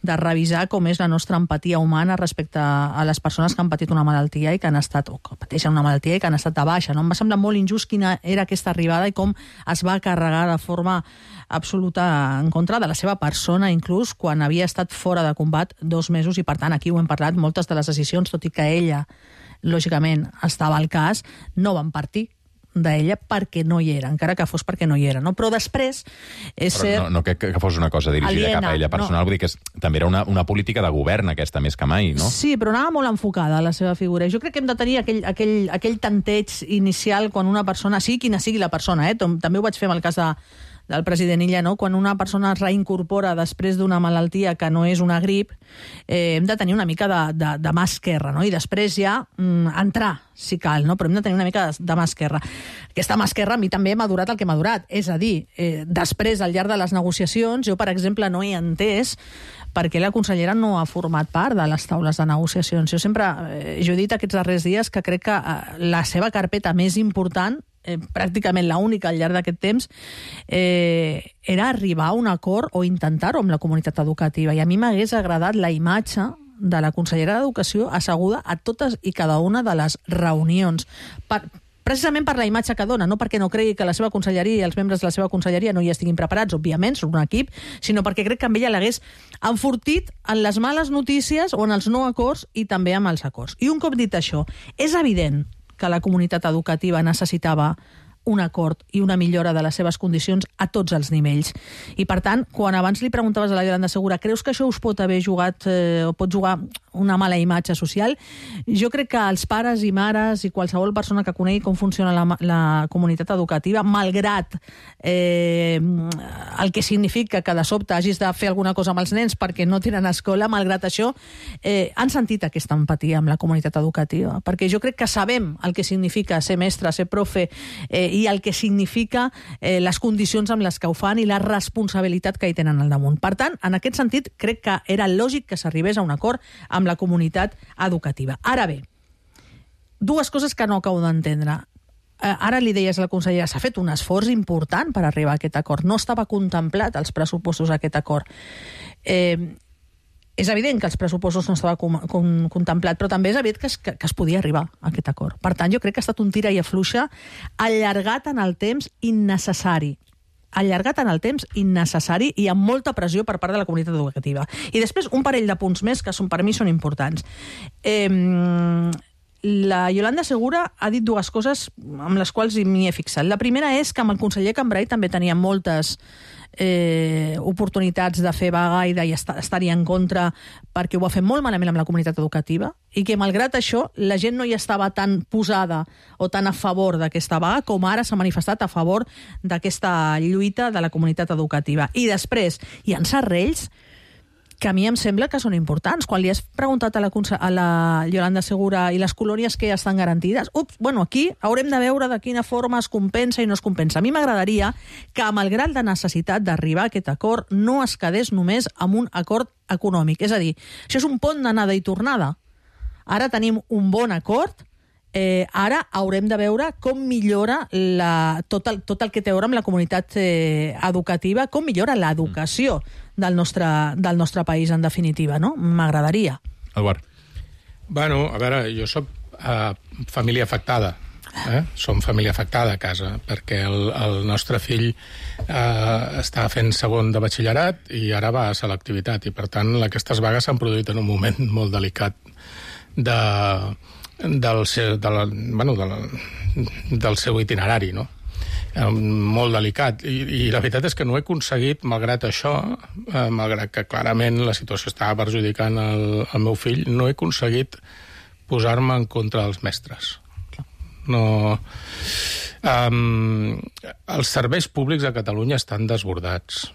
de revisar com és la nostra empatia humana respecte a les persones que han patit una malaltia i que han estat, o que pateixen una malaltia i que han estat de baixa. No? Em va semblar molt injust quina era aquesta arribada i com es va carregar de forma absoluta en contra de la seva persona, inclús quan havia estat fora de combat dos mesos, i per tant aquí ho hem parlat, moltes de les decisions, tot i que ella lògicament estava al cas, no van partir d'ella perquè no hi era, encara que fos perquè no hi era, no? Però després és Però ser... no, no que, que fos una cosa dirigida aliena, cap a ella personal, no. Vull dir que és, també era una, una política de govern aquesta, més que mai, no? Sí, però anava molt enfocada la seva figura. Jo crec que hem de tenir aquell, aquell, aquell tanteig inicial quan una persona, sigui quina sigui la persona, eh? També ho vaig fer amb el cas de del president Illa, no? Quan una persona es reincorpora després d'una malaltia que no és una grip, eh, hem de tenir una mica de, de, de mà esquerra, no? I després ja mm, entrar, si cal, no? Però hem de tenir una mica de, de mà esquerra. Aquesta mà esquerra a mi també m'ha durat el que m'ha durat, és a dir, eh, després, al llarg de les negociacions, jo, per exemple, no he entès perquè la consellera no ha format part de les taules de negociacions. Jo sempre, eh, jo he dit aquests darrers dies que crec que eh, la seva carpeta més important, Eh, pràcticament l'única al llarg d'aquest temps, eh, era arribar a un acord o intentar-ho amb la comunitat educativa. I a mi m'hagués agradat la imatge de la consellera d'Educació asseguda a totes i cada una de les reunions. Per, precisament per la imatge que dona, no perquè no cregui que la seva conselleria i els membres de la seva conselleria no hi estiguin preparats, òbviament, són un equip, sinó perquè crec que amb ella l'hagués enfortit en les males notícies o en els no acords i també amb els acords. I un cop dit això, és evident que la comunitat educativa necessitava un acord i una millora de les seves condicions a tots els nivells. I, per tant, quan abans li preguntaves a la Yolanda Segura, creus que això us pot haver jugat eh, o pot jugar una mala imatge social? Jo crec que els pares i mares i qualsevol persona que conegui com funciona la, la comunitat educativa, malgrat eh, el que significa que de sobte hagis de fer alguna cosa amb els nens perquè no tenen escola, malgrat això, eh, han sentit aquesta empatia amb la comunitat educativa. Perquè jo crec que sabem el que significa ser mestre, ser profe, eh, i el que significa eh, les condicions amb les que ho fan i la responsabilitat que hi tenen al damunt. Per tant, en aquest sentit, crec que era lògic que s'arribés a un acord amb la comunitat educativa. Ara bé, dues coses que no acabo d'entendre. Eh, ara li deies a la consellera, s'ha fet un esforç important per arribar a aquest acord. No estava contemplat als pressupostos aquest acord. Eh, És evident que els pressupostos no estava com, com, contemplat, però també és evident que es, que, que es podia arribar a aquest acord. Per tant, jo crec que ha estat un tira i afluixa allargat en el temps innecessari. Allargat en el temps innecessari i amb molta pressió per part de la comunitat educativa. I després un parell de punts més que són, per mi són importants. Eh, la Yolanda Segura ha dit dues coses amb les quals m'hi he fixat. La primera és que amb el conseller Cambray també tenia moltes Eh, oportunitats de fer vaga i d'estar-hi en contra perquè ho va fer molt malament amb la comunitat educativa i que malgrat això la gent no hi estava tan posada o tan a favor d'aquesta vaga com ara s'ha manifestat a favor d'aquesta lluita de la comunitat educativa. I després hi ha serrells que a mi em sembla que són importants. Quan li has preguntat a la, a la Yolanda Segura i les colònies que ja estan garantides, ups, bueno, aquí haurem de veure de quina forma es compensa i no es compensa. A mi m'agradaria que, amb el grau de necessitat d'arribar a aquest acord, no es quedés només amb un acord econòmic. És a dir, això és un pont d'anada i tornada. Ara tenim un bon acord, Eh, ara haurem de veure com millora la, tot, el, tot el que té a veure amb la comunitat eh, educativa, com millora l'educació del nostre, del nostre país, en definitiva, no? M'agradaria. Eduard. Bueno, a veure, jo soc uh, família afectada. Eh? Som família afectada a casa, perquè el, el nostre fill eh, està fent segon de batxillerat i ara va a selectivitat, i per tant aquestes vagues s'han produït en un moment molt delicat de... del seu, de la, bueno, de la, del seu itinerari, no? Eh, molt delicat. I, I la veritat és que no he aconseguit, malgrat això, eh, malgrat que clarament la situació estava perjudicant el, el meu fill, no he aconseguit posar-me en contra dels mestres. No... Um, els serveis públics a Catalunya estan desbordats.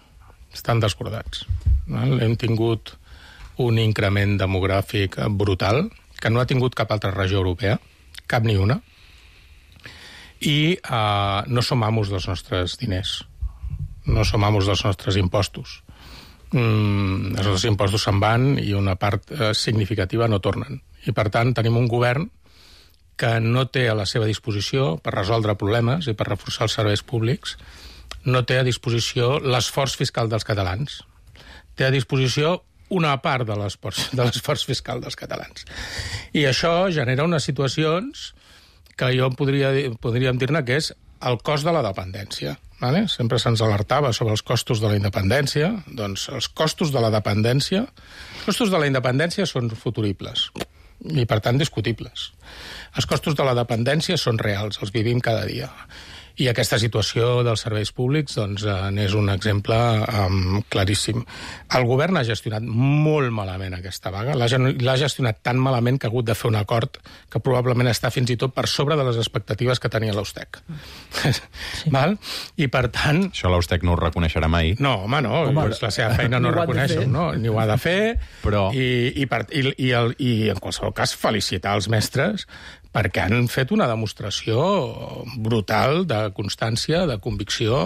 Estan desbordats. No? Hem tingut un increment demogràfic brutal, que no ha tingut cap altra regió europea, cap ni una, i uh, no som amos dels nostres diners, no som amos dels nostres impostos. Mm, els nostres impostos se'n van i una part uh, significativa no tornen. I, per tant, tenim un govern que no té a la seva disposició, per resoldre problemes i per reforçar els serveis públics, no té a disposició l'esforç fiscal dels catalans. Té a disposició una part de l'esforç de l'esforç fiscal dels catalans. I això genera unes situacions que jo podria, podríem dir-ne que és el cost de la dependència. Vale? Sempre se'ns alertava sobre els costos de la independència. Doncs els costos de la dependència... Els costos de la independència són futuribles i, per tant, discutibles. Els costos de la dependència són reals, els vivim cada dia. I aquesta situació dels serveis públics doncs, n'és un exemple um, claríssim. El govern ha gestionat molt malament aquesta vaga, l'ha gestionat tan malament que ha hagut de fer un acord que probablement està fins i tot per sobre de les expectatives que tenia l'Austec. Sí. Val? I per tant... Això l'Austec no ho reconeixerà mai. No, home, no, home, doncs la seva feina no, no reconeix, no, ni ho ha de fer, però... i, i, per, i, i, el, i en qualsevol cas felicitar els mestres perquè han fet una demostració brutal de constància, de convicció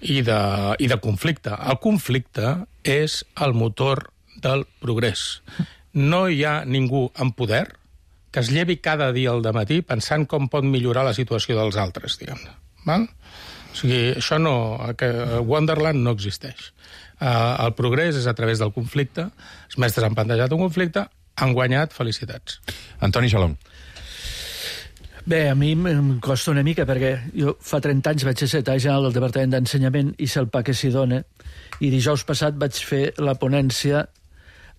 i de, i de conflicte. El conflicte és el motor del progrés. No hi ha ningú en poder que es llevi cada dia al dematí pensant com pot millorar la situació dels altres, diguem-ne. Val? O sigui, això no... Wonderland no existeix. Uh, el progrés és a través del conflicte. Els mestres han plantejat un conflicte, han guanyat, felicitats. Antoni Xalom. Bé, a mi em costa una mica perquè jo fa trenta anys vaig ser secretari general del Departament d'Ensenyament i sé el pa que s'hi dona, i dijous passat vaig fer la ponència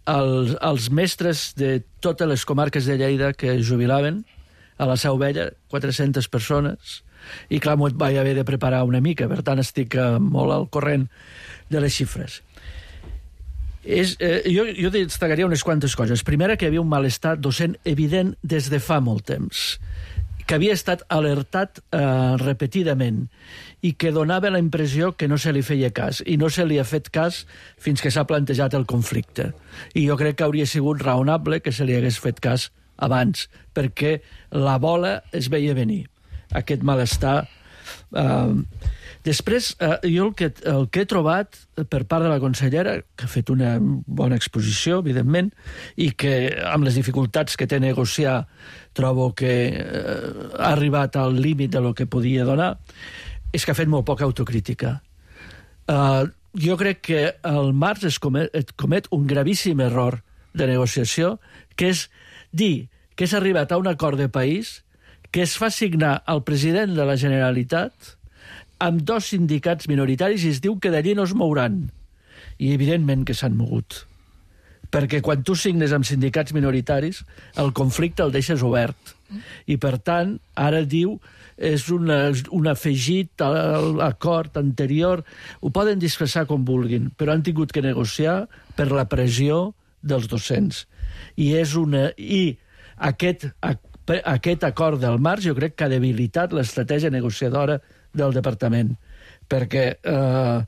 als, als mestres de totes les comarques de Lleida que jubilaven a la Seu Vella, quatre-centes persones, i clar, m'ho vaig haver de preparar una mica, per tant estic eh, molt al corrent de les xifres. És, eh, jo, jo destacaria unes quantes coses. Primera, que hi havia un malestar docent evident des de fa molt temps, que havia estat alertat eh, repetidament i que donava la impressió que no se li feia cas, i no se li ha fet cas fins que s'ha plantejat el conflicte. I jo crec que hauria sigut raonable que se li hagués fet cas abans, perquè la bola es veia venir, aquest malestar. Eh, després, eh, jo el que, el que he trobat per part de la consellera, que ha fet una bona exposició, evidentment, i que amb les dificultats que té a negociar trobo que eh, ha arribat al límit de lo que podia donar, és que ha fet molt poca autocrítica. Uh, jo crec que al març es comet, es comet un gravíssim error de negociació, que és dir que s'ha arribat a un acord de país que es fa signar al president de la Generalitat amb dos sindicats minoritaris i es diu que d'allí no es mouran. I evidentment que s'han mogut. Perquè quan tu signes amb sindicats minoritaris, el conflicte el deixes obert. I, per tant, ara diu és una, un afegit a l'acord anterior. Ho poden disfressar com vulguin, però han tingut que negociar per la pressió dels docents. I, és una, i aquest, aquest acord del març jo crec que ha debilitat l'estratègia negociadora del departament. Perquè eh,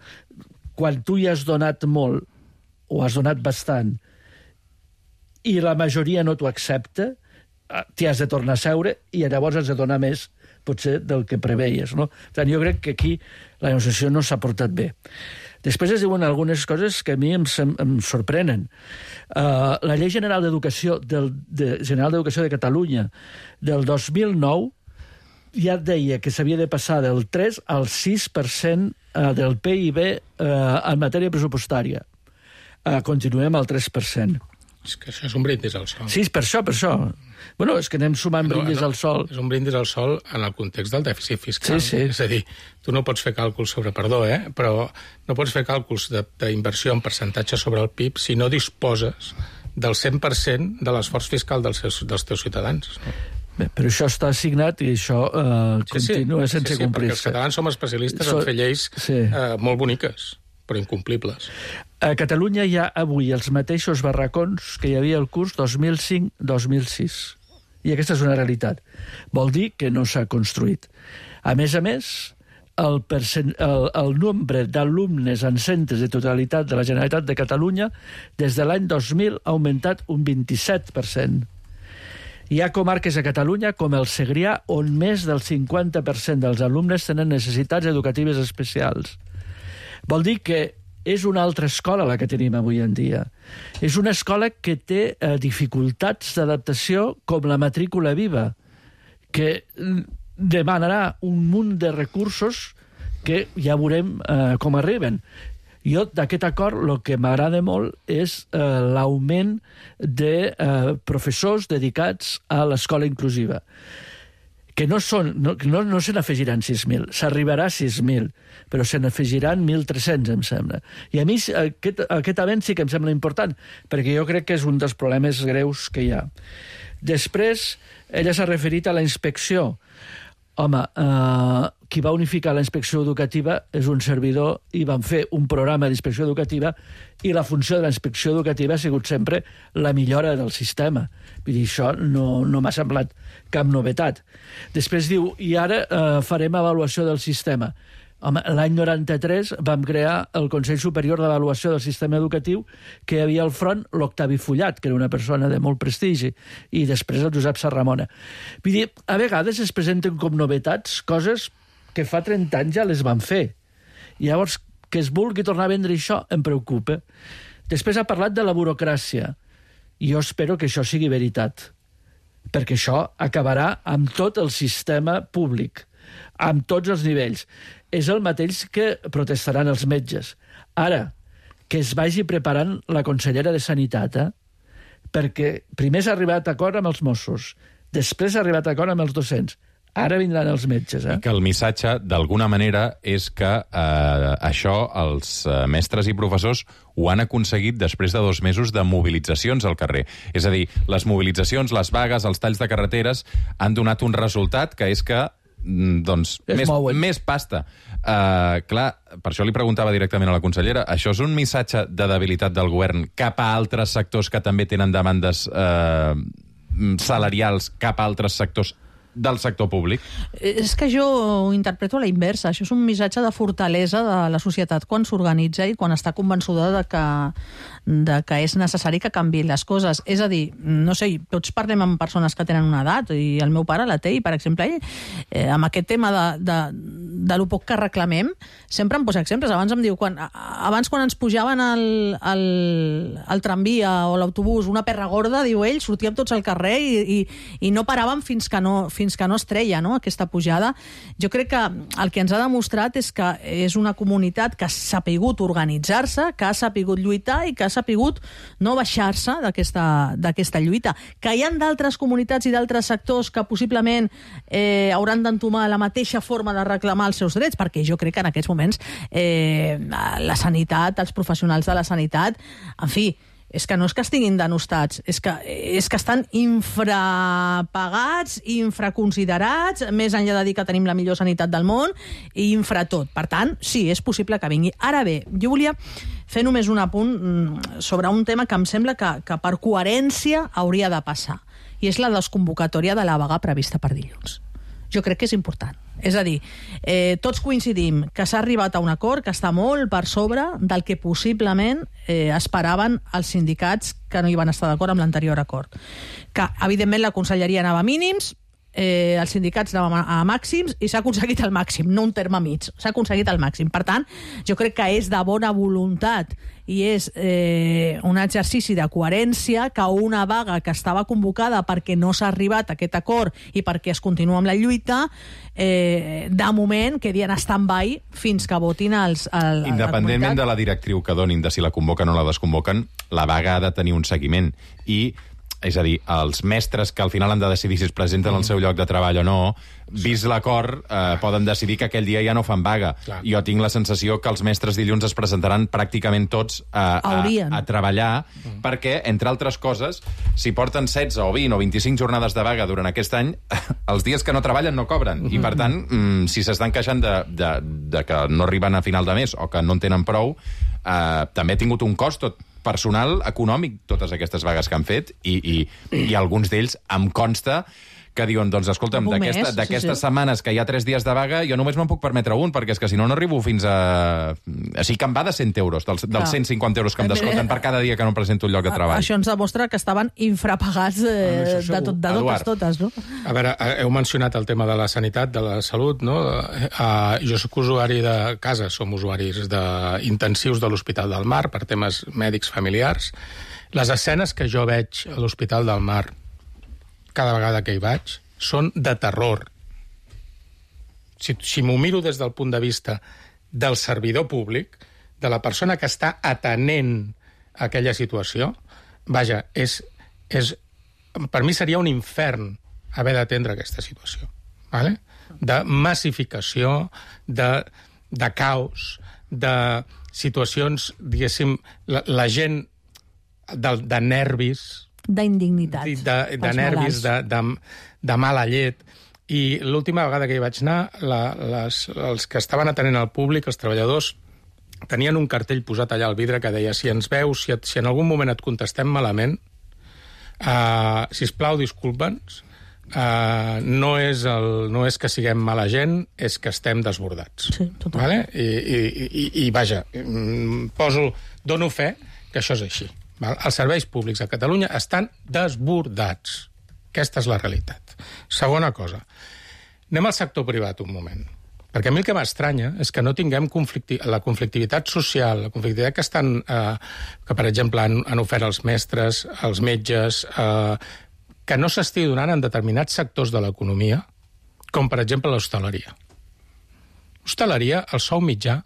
quan tu hi has donat molt, o has donat bastant, i la majoria no t'ho accepta, t'hi has de tornar a seure i llavors has de donar més, potser, del que preveies, no? Per tant, jo crec que aquí la negociació no s'ha portat bé. Després es diuen algunes coses que a mi em, em sorprenen. Uh, la Llei General d'Educació del, de, General d'Educació de Catalunya del dos mil nou ja deia que s'havia de passar del tres al sis per cent del P I B uh, en matèria pressupostària. Uh, continuem al tres per cent. És que això és un brindis al sol. Sí, per això, per això. Bueno, és que anem sumant no, brindis no, al sol. És un brindis al sol en el context del dèficit fiscal. Sí, sí. És a dir, tu no pots fer càlculs sobre, perdó, eh? però no pots fer càlculs d'inversió en percentatge sobre el P I B si no disposes del cent per cent de l'esforç fiscal dels, seus, dels teus ciutadans. No? Bé, però això està assignat i això eh, sí, continua sí, sense sí, sí, complir-se. Perquè els catalans som especialistes so... en fer lleis sí. eh, molt boniques, però incomplibles. A Catalunya hi ha avui els mateixos barracons que hi havia al curs dos mil cinc dos mil sis. I aquesta és una realitat. Vol dir que no s'ha construït. A més a més, el, percent, el, el nombre d'alumnes en centres de totalitat de la Generalitat de Catalunya des de l'any dos mil ha augmentat un vint-i-set per cent. Hi ha comarques a Catalunya, com el Segrià, on més del cinquanta per cent dels alumnes tenen necessitats educatives especials. Vol dir que és una altra escola la que tenim avui en dia. És una escola que té eh, dificultats d'adaptació com la matrícula viva, que demanarà un munt de recursos que ja veurem eh, com arriben. Jo, d'aquest acord, el que m'agrada molt és eh, l'augment de eh, professors dedicats a l'escola inclusiva, que no, són, no, no, no se n'afegiran sis mil, s'arribarà a sis mil, però se n'afegiran mil tres-cents, em sembla. I a mi aquest, aquest avenç sí que em sembla important, perquè jo crec que és un dels problemes greus que hi ha. Després, ella s'ha referit a la inspecció. Home, eh, qui va unificar la inspecció educativa és un servidor i van fer un programa d'inspecció educativa i la funció de la inspecció educativa ha sigut sempre la millora del sistema. Vull dir, això no, no m'ha semblat cap novetat. Després diu, i ara eh, farem avaluació del sistema. Home, l'any noranta-tres vam crear el Consell Superior d'Avaluació del Sistema Educatiu, que hi havia al front l'Octavi Fullat, que era una persona de molt prestigi, i després el Josep Sarramona. Vull dir, a vegades es presenten com novetats coses que fa trenta anys ja les van fer. I llavors, que es vulgui tornar a vendre això em preocupa. Després ha parlat de la burocràcia. I jo espero que això sigui veritat, perquè això acabarà amb tot el sistema públic, amb tots els nivells. És el mateix que protestaran els metges. Ara, que es vagi preparant la consellera de Sanitat, eh? Perquè primer s'ha arribat a acord amb els Mossos, després s'ha arribat a acord amb els docents, Ara vindran els metges, eh? I que el missatge, d'alguna manera, és que eh, això els eh, mestres i professors ho han aconseguit després de dos mesos de mobilitzacions al carrer. És a dir, les mobilitzacions, les vagues, els talls de carreteres han donat un resultat que és que doncs, més, més pasta. Uh, clar, per això li preguntava directament a la consellera, això és un missatge de debilitat del govern cap a altres sectors que també tenen demandes uh, salarials cap a altres sectors del sector públic? És que jo ho interpreto a la inversa. Això és un missatge de fortalesa de la societat quan s'organitza i quan està convençuda de que, de que és necessari que canviïn les coses. És a dir, no sé, tots parlem amb persones que tenen una edat, i el meu pare la té, i per exemple, ell, eh, amb aquest tema de, de, de lo poc que reclamem, sempre em posa exemples. Abans em diu, quan, abans quan ens pujaven al, al, al tramvia o l'autobús una perra gorda, diu ell, sortíem tots al carrer i, i, i no paràvem fins que no, fins que no es treia, no?, aquesta pujada. Jo crec que el que ens ha demostrat és que és una comunitat que ha sapigut organitzar-se, que ha sapigut lluitar i que ha sapigut no baixar-se d'aquesta lluita. Que hi ha d'altres comunitats i d'altres sectors que possiblement eh, hauran d'entomar la mateixa forma de reclamar els seus drets, perquè jo crec que en aquests moments eh, la sanitat, els professionals de la sanitat, en fi, és que no és que estiguin denostats, és que, és que estan infrapagats, infraconsiderats, més enllà de dir que tenim la millor sanitat del món, i infratot. Per tant, sí, és possible que vingui. Ara bé, jo volia fer només un apunt sobre un tema que em sembla que, que per coherència hauria de passar, i és la desconvocatòria de la vaga prevista per dilluns. Jo crec que és important. És a dir, eh, tots coincidim que s'ha arribat a un acord que està molt per sobre del que possiblement eh, esperaven els sindicats que no hi van estar d'acord amb l'anterior acord. Que, evidentment, la conselleria anava a mínims, eh, els sindicats anaven a, a màxims, i s'ha aconseguit el màxim, no un terme mig. S'ha aconseguit el màxim. Per tant, jo crec que és de bona voluntat i és eh, un exercici de coherència que una vaga que estava convocada perquè no s'ha arribat a aquest acord i perquè es continua amb la lluita, eh, de moment quedi en stand-by fins que votin els... El, Independentment de la directriu que donin, de si la convoquen o la desconvoquen, la vaga ha de tenir un seguiment. I, és a dir, els mestres que al final han de decidir si es presenten al seu lloc de treball o no, vist l'acord, eh, poden decidir que aquell dia ja no fan vaga. Clar. Jo tinc la sensació que els mestres dilluns es presentaran pràcticament tots a, a, a treballar, mm. perquè, entre altres coses, si porten setze o vint o vint-i-cinc jornades de vaga durant aquest any, els dies que no treballen no cobren. Mm-hmm. I, per tant, mm, si s'estan queixant de, de, de que no arriben a final de mes o que no en tenen prou, eh, també ha tingut un cost tot personal, econòmic, totes aquestes vagues que han fet, i, i, i alguns d'ells em consta que diuen, doncs, escolta'm, d'aquestes sí, sí. setmanes que hi ha tres dies de vaga, jo només me'n puc permetre un, perquè és que si no, no arribo fins a... O sigui, que em va de cent euros, dels, dels cent cinquanta euros que em descompten per cada dia que no em presento un lloc de treball. Això ens demostra que estaven infrapagats eh, de, tot, de totes, totes, no? A veure, heu mencionat el tema de la sanitat, de la salut, no? Uh, jo soc usuari de casa, som usuaris de intensius de l'Hospital del Mar per temes mèdics familiars. Les escenes que jo veig a l'Hospital del Mar cada vegada que hi vaig, són de terror. Si, si m'ho miro des del punt de vista del servidor públic, de la persona que està atenent aquella situació, vaja, és, és, per mi seria un infern haver d'atendre aquesta situació. Vale? De massificació, de, de caos, de situacions, diguéssim, la, la gent de, de nervis, d'indignitat. De, de, de nervis, de, de, de mala llet. I l'última vegada que hi vaig anar, la, les, els que estaven atenent al públic, els treballadors, tenien un cartell posat allà al vidre que deia, si ens veus, si, et, si en algun moment et contestem malament, uh, sisplau, disculpa'ns, uh, no, és el, no és que siguem mala gent, és que estem desbordats. Sí, total. Vale? I, i, i, I vaja, poso, dono fe que això és així. Els serveis públics a Catalunya estan desbordats. Aquesta és la realitat. Segona cosa, anem al sector privat un moment. Perquè a mi el que m'estranya és que no tinguem conflicti la conflictivitat social, la conflictivitat que estan, eh, que per exemple han, han ofert els mestres, els metges, eh, que no s'estigui donant en determinats sectors de l'economia, com per exemple l'hostaleria. L'hostaleria, el sou mitjà,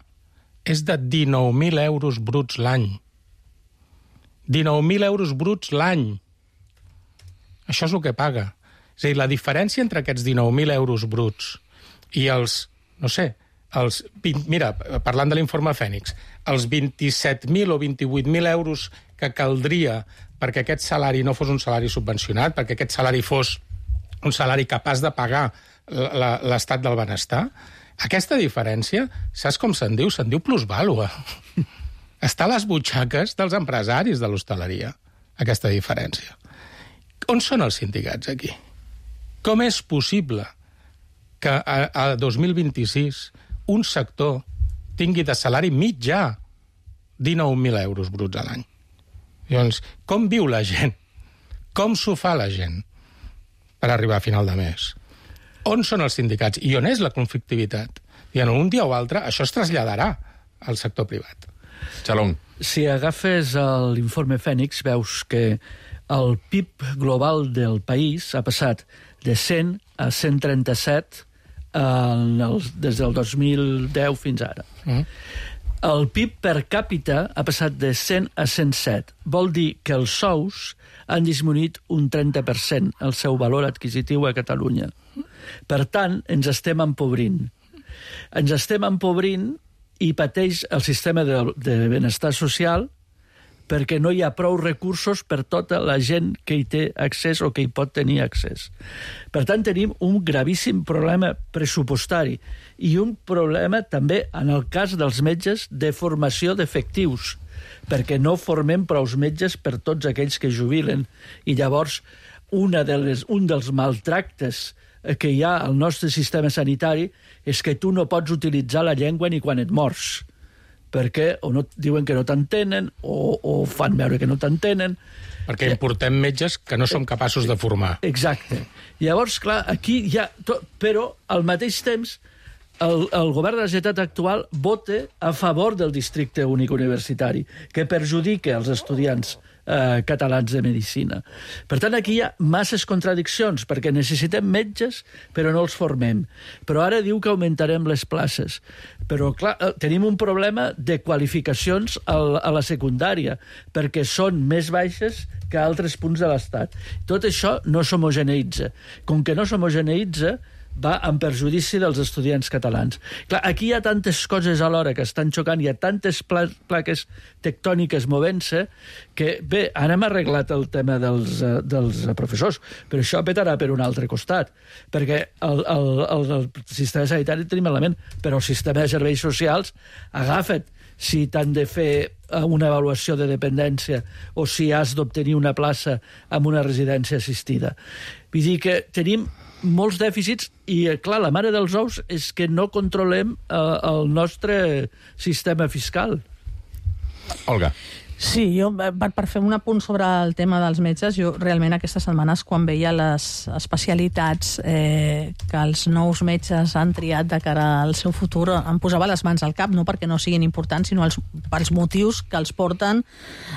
és de dinou mil euros bruts l'any. dinou mil euros bruts l'any. Això és el que paga. És a dir, la diferència entre aquests dinou mil euros bruts i els, no sé, els vint, mira, parlant de l'informe Fènix, els vint-i-set mil o vint-i-vuit mil euros que caldria perquè aquest salari no fos un salari subvencionat, perquè aquest salari fos un salari capaç de pagar l'estat del benestar, aquesta diferència, saps com se'n diu? Se'n diu plusvàlua. Està a les butxaques dels empresaris de l'hostaleria, aquesta diferència. On són els sindicats aquí? Com és possible que a, a dos mil vint-i-sis un sector tingui de salari mitjà dinou mil euros bruts a l'any? Llavors, com viu la gent? Com s'ho fa la gent per arribar a final de mes? On són els sindicats? I on és la conflictivitat? I en un dia o altre això es traslladarà al sector privat. Xalong. Si agafes l'informe Fènix, veus que el P I B global del país ha passat de cent a cent trenta-set des del dos mil deu fins ara. Mm. El P I B per càpita ha passat de cent a cent set. Vol dir que els sous han disminuït un trenta per cent el seu valor adquisitiu a Catalunya. Per tant, ens estem empobrint. Ens estem empobrint i pateix el sistema de, de benestar social perquè no hi ha prou recursos per tota la gent que hi té accés o que hi pot tenir accés. Per tant, tenim un gravíssim problema pressupostari i un problema també, en el cas dels metges, de formació d'efectius, perquè no formem prous metges per tots aquells que jubilen. I llavors, una de les, un dels maltractes que hi ha al nostre sistema sanitari és que tu no pots utilitzar la llengua ni quan et mors, perquè o no, diuen que no t'entenen o, o fan veure que no t'entenen. Perquè importem metges que no som capaços de formar. Exacte. Llavors, clar, aquí hi ha... Tot, però, al mateix temps, el, el govern de la Generalitat actual vota a favor del districte únic universitari, que perjudica els estudiants eh, catalans de medicina. Per tant, aquí hi ha masses contradiccions, perquè necessitem metges, però no els formem. Però ara diu que augmentarem les places. Però, clar, tenim un problema de qualificacions a la secundària, perquè són més baixes que a altres punts de l'Estat. Tot això no s'homogeneïtza. Com que no s'homogeneïtza, va en perjudici dels estudiants catalans. Clar, aquí hi ha tantes coses alhora que estan xocant, hi ha tantes pla plaques tectòniques movent-se, que, bé, ara hem arreglat el tema dels, uh, dels professors, però això petarà per un altre costat, perquè el, el, el, el sistema sanitari tenim element, però el sistema de serveis socials, agafa't, si t'han de fer una avaluació de dependència o si has d'obtenir una plaça en una residència assistida. Vull dir que tenim molts dèficits i, clar, la mare dels ous és que no controlem eh, el nostre sistema fiscal. Olga. Sí, jo, per, per fer un apunt sobre el tema dels metges, jo realment aquestes setmanes, quan veia les especialitats eh, que els nous metges han triat de cara al seu futur, em posava les mans al cap, no perquè no siguin importants, sinó els, pels motius que els porten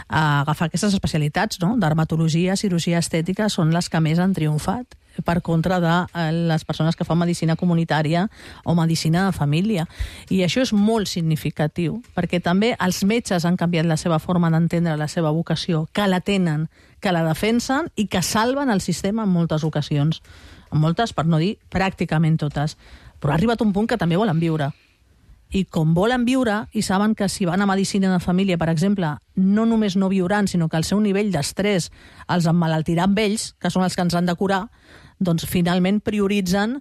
a agafar aquestes especialitats, no? Dermatologia, cirurgia estètica, són les que més han triomfat per contra de les persones que fan medicina comunitària o medicina de família. I això és molt significatiu, perquè també els metges han canviat la seva forma d'entendre la seva vocació, que la tenen, que la defensen i que salven el sistema en moltes ocasions. En moltes, per no dir pràcticament totes. Però ha arribat un punt que també volen viure. I com volen viure, i saben que si van a medicina de família, per exemple, no només no viuran, sinó que el seu nivell d'estrès els emmalaltirà amb ells, que són els que ens han de curar, doncs finalment prioritzen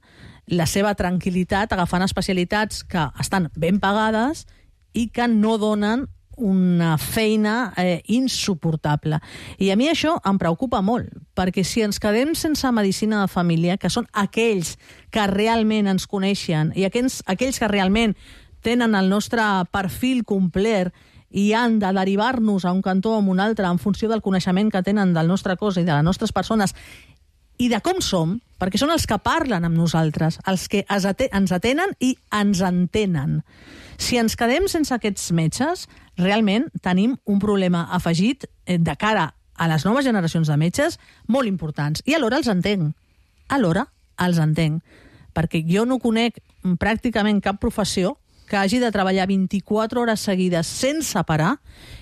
la seva tranquil·litat agafant especialitats que estan ben pagades i que no donen una feina eh, insuportable. I a mi això em preocupa molt, perquè si ens quedem sense medicina de família, que són aquells que realment ens coneixen i aquells, aquells que realment tenen el nostre perfil complet i han de derivar-nos a un cantó o a un altre en funció del coneixement que tenen del nostre cos i de les nostres persones i de com som, perquè són els que parlen amb nosaltres, els que ens atenen i ens entenen. Si ens quedem sense aquests metges, realment tenim un problema afegit de cara a les noves generacions de metges molt importants. I alhora els entenc. Alhora els entenc. Perquè jo no conec pràcticament cap professió que hagi de treballar vint-i-quatre hores seguides sense parar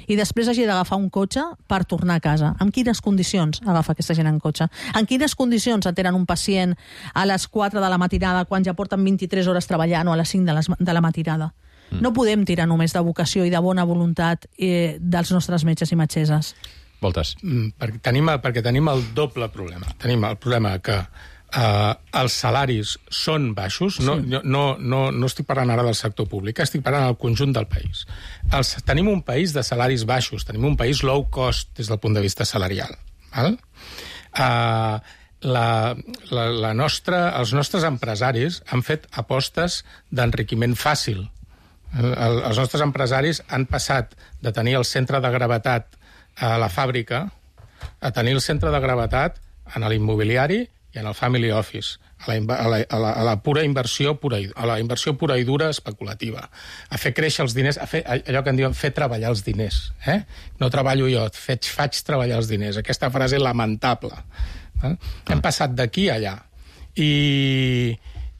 i després hagi d'agafar un cotxe per tornar a casa. En quines condicions agafa aquesta gent en cotxe? En quines condicions atenen un pacient a les quatre de la matinada quan ja porten vint-i-tres hores treballant o a les cinc de, les, de la matinada? Mm. No podem tirar només de vocació i de bona voluntat eh, dels nostres metges i metgesses. Voltes. Mm, perquè, tenim, perquè tenim el doble problema. Tenim el problema que Uh, els salaris són baixos, no, sí. no, no, no estic parlant ara del sector públic, estic parlant del conjunt del país. Els, tenim un país de salaris baixos, tenim un país low cost des del punt de vista salarial. Val? Uh, la, la, la nostra, els nostres empresaris han fet apostes d'enriquiment fàcil. El, el, els nostres empresaris han passat de tenir el centre de gravetat a la fàbrica a tenir el centre de gravetat en l'immobiliari i en el family office, a la, a la, a la, a la pura inversió pura, a la inversió pura i dura especulativa, a fer créixer els diners, a fer allò que en diuen fer treballar els diners. Eh? No treballo jo, faig, faig treballar els diners. Aquesta frase lamentable. Eh? Hem passat d'aquí a allà. I,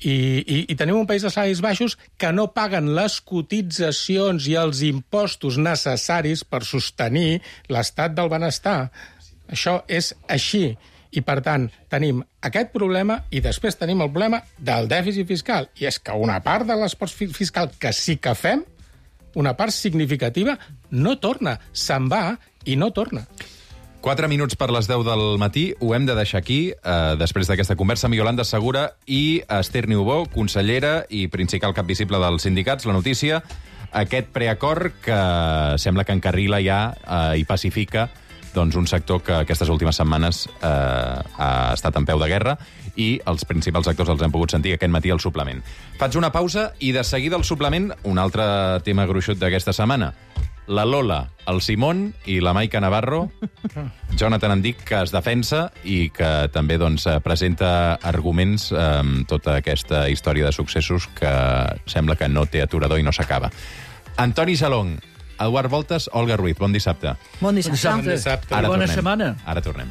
i, i, I tenim un país de salaris baixos que no paguen les cotitzacions i els impostos necessaris per sostenir l'estat del benestar. Això és així. I, per tant, tenim aquest problema i després tenim el problema del dèficit fiscal. I és que una part de l'esforç fiscal que sí que fem, una part significativa, no torna. Se'n va i no torna. Quatre minuts per les deu del matí. Ho hem de deixar aquí, eh, després d'aquesta conversa amb Iolanda Segura i Esther Niubó, consellera i principal cap visible dels sindicats. La notícia, aquest preacord que sembla que encarrila ja eh, i pacifica doncs un sector que aquestes últimes setmanes eh, ha estat en peu de guerra i els principals actors els hem pogut sentir aquest matí al suplement. Faig una pausa i de seguida al suplement un altre tema gruixut d'aquesta setmana. La Lola, el Simón i la Maica Navarro, Jonathan en dic que es defensa i que també doncs, presenta arguments amb eh, tota aquesta història de successos que sembla que no té aturador i no s'acaba. Antoni Salong, Eduard Voltes, Olga Ruiz, bon dissabte. Bon dissabte. Bon dissabte. Ara bona tornem. Setmana. Ara tornem.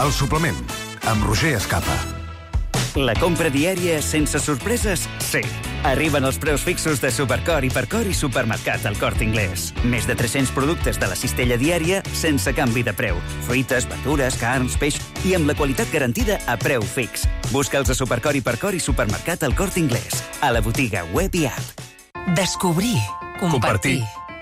El suplement, amb Roger Escapa. La compra diària sense sorpreses? Sí. Arriben els preus fixos de Supercor, Hipercor i Supermercat al Corte Inglés. Més de tres-cents productes de la cistella diària sense canvi de preu. Fruites, verdures, carns, peix i amb la qualitat garantida a preu fix. Busca'ls a Supercor, Hipercor i Supermercat al Corte Inglés. A la botiga web i app. Descobrir. Compartir.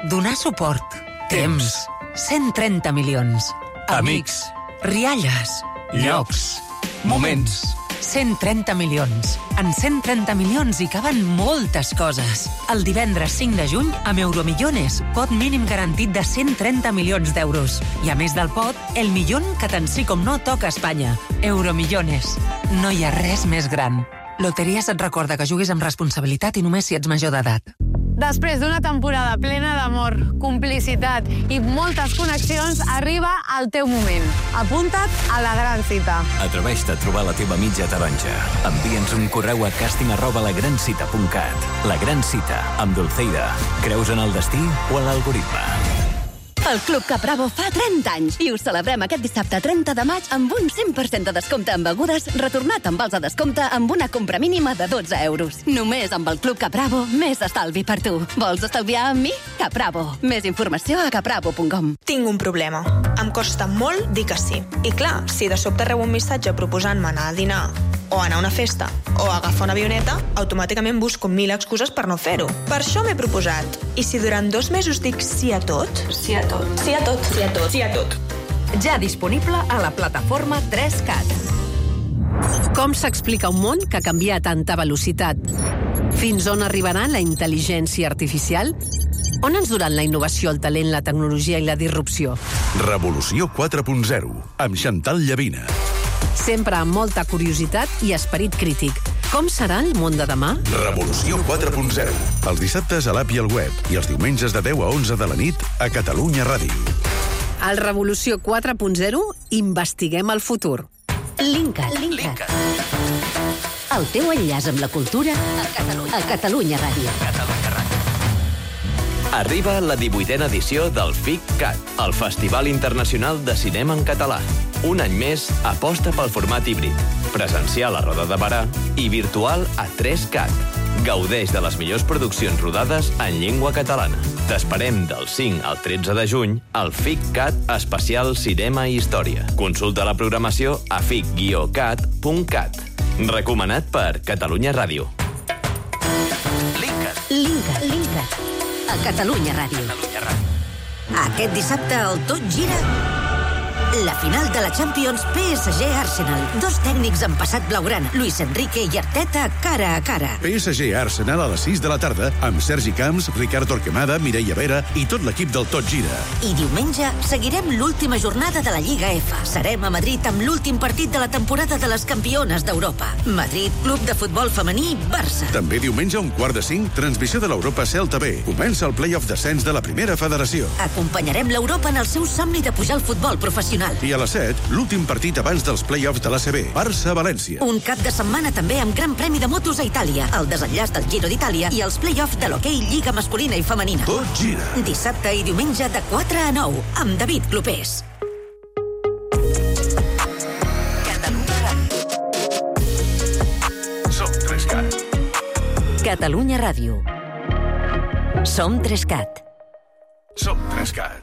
Donar suport. Temps. cent trenta milions. Amics. Rialles. Llocs. Moments. cent trenta milions. En cent trenta milions hi caben moltes coses. El divendres cinc de juny, amb Euromillones, pot mínim garantit de cent trenta milions d'euros. I a més del pot, el millón que tant sí com no toca a Espanya. Euromillones. No hi ha res més gran. Loteries et recorda que juguis amb responsabilitat i només si ets major d'edat. Després d'una temporada plena d'amor, complicitat i moltes connexions, arriba el teu moment. Apunta't a la gran cita. Atreveix-te a trobar la teva mitja taronja. Envia'ns un correu a casting arroba lagrancita punt cat. La Gran Cita, amb Dulceida. Creus en el destí o en l'algoritme? El Club Capravo fa trenta anys i ho celebrem aquest dissabte trenta de maig amb un cent per cent de descompte en begudes, retornat amb vals de descompte amb una compra mínima de dotze euros. Només amb el Club Capravo, més estalvi per tu. Vols estalviar amb mi? Capravo. Més informació a capravo punt com. Tinc un problema. Em costa molt dir que sí. I clar, si de sobte rebo un missatge proposant-me anar a dinar o anar a una festa o agafar una avioneta, automàticament busco mil excuses per no fer-ho. Per això m'he proposat. I si durant dos mesos dic sí a tot? Sí a tot. Sí a tot. Sí a tot. Sí a tot. Ja disponible a la plataforma tres cat. Com s'explica un món que canvia a tanta velocitat? Fins on arribarà la intel·ligència artificial? On ens duran la innovació, el talent, la tecnologia i la disrupció? Revolució quatre punt zero, amb Chantal Llavina. Sempre amb molta curiositat i esperit crític. Com serà el món de demà? Revolució quatre punt zero. Els dissabtes a l'app i al web i els diumenges de deu a onze de la nit a Catalunya Ràdio. Al Revolució quatre punt zero investiguem el futur. Linkat. Linkat. El teu enllaç amb la cultura a Catalunya, a Catalunya Ràdio. Catalunya Ràdio. Arriba la divuitena edició del FICCAT, el Festival Internacional de Cinema en Català. Un any més, aposta pel format híbrid, presencial a Roda de Barà i virtual a tres cat. Gaudeix de les millors produccions rodades en llengua catalana. T'esperem del cinc al tretze de juny al FICCAT Especial Cinema i Història. Consulta la programació a fic guió cat punt cat. Recomanat per Catalunya Ràdio. Linkat. Linkat. A Catalunya Ràdio. Aquest dissabte el Tot Gira. La final de la Champions P S G-Arsenal. Dos tècnics en passat blaugrana, Luis Enrique i Arteta, cara a cara. P S G-Arsenal a les sis de la tarda amb Sergi Camps, Ricard Torquemada, Mireia Vera i tot l'equip del Tot Gira. I diumenge seguirem l'última jornada de la Lliga F. Serem a Madrid amb l'últim partit de la temporada de les campiones d'Europa. Madrid, Club de Futbol Femení, Barça. També diumenge a un quart de cinc, transmissió de l'Europa Celta B. Comença el play-off descens de la primera federació. Acompanyarem l'Europa en el seu somni de pujar al futbol professional. I a les set, l'últim partit abans dels play-offs de l'A C B, Barça-València. Un cap de setmana també amb Gran Premi de motos a Itàlia, el desenllaç del Giro d'Itàlia i els play-offs de l'hoquei Lliga masculina i femenina. Tot gira. Dissabte i diumenge de quatre a nou, amb David Clopés. Som tres cat. Catalunya Ràdio. Som tres cat. Som tres cat.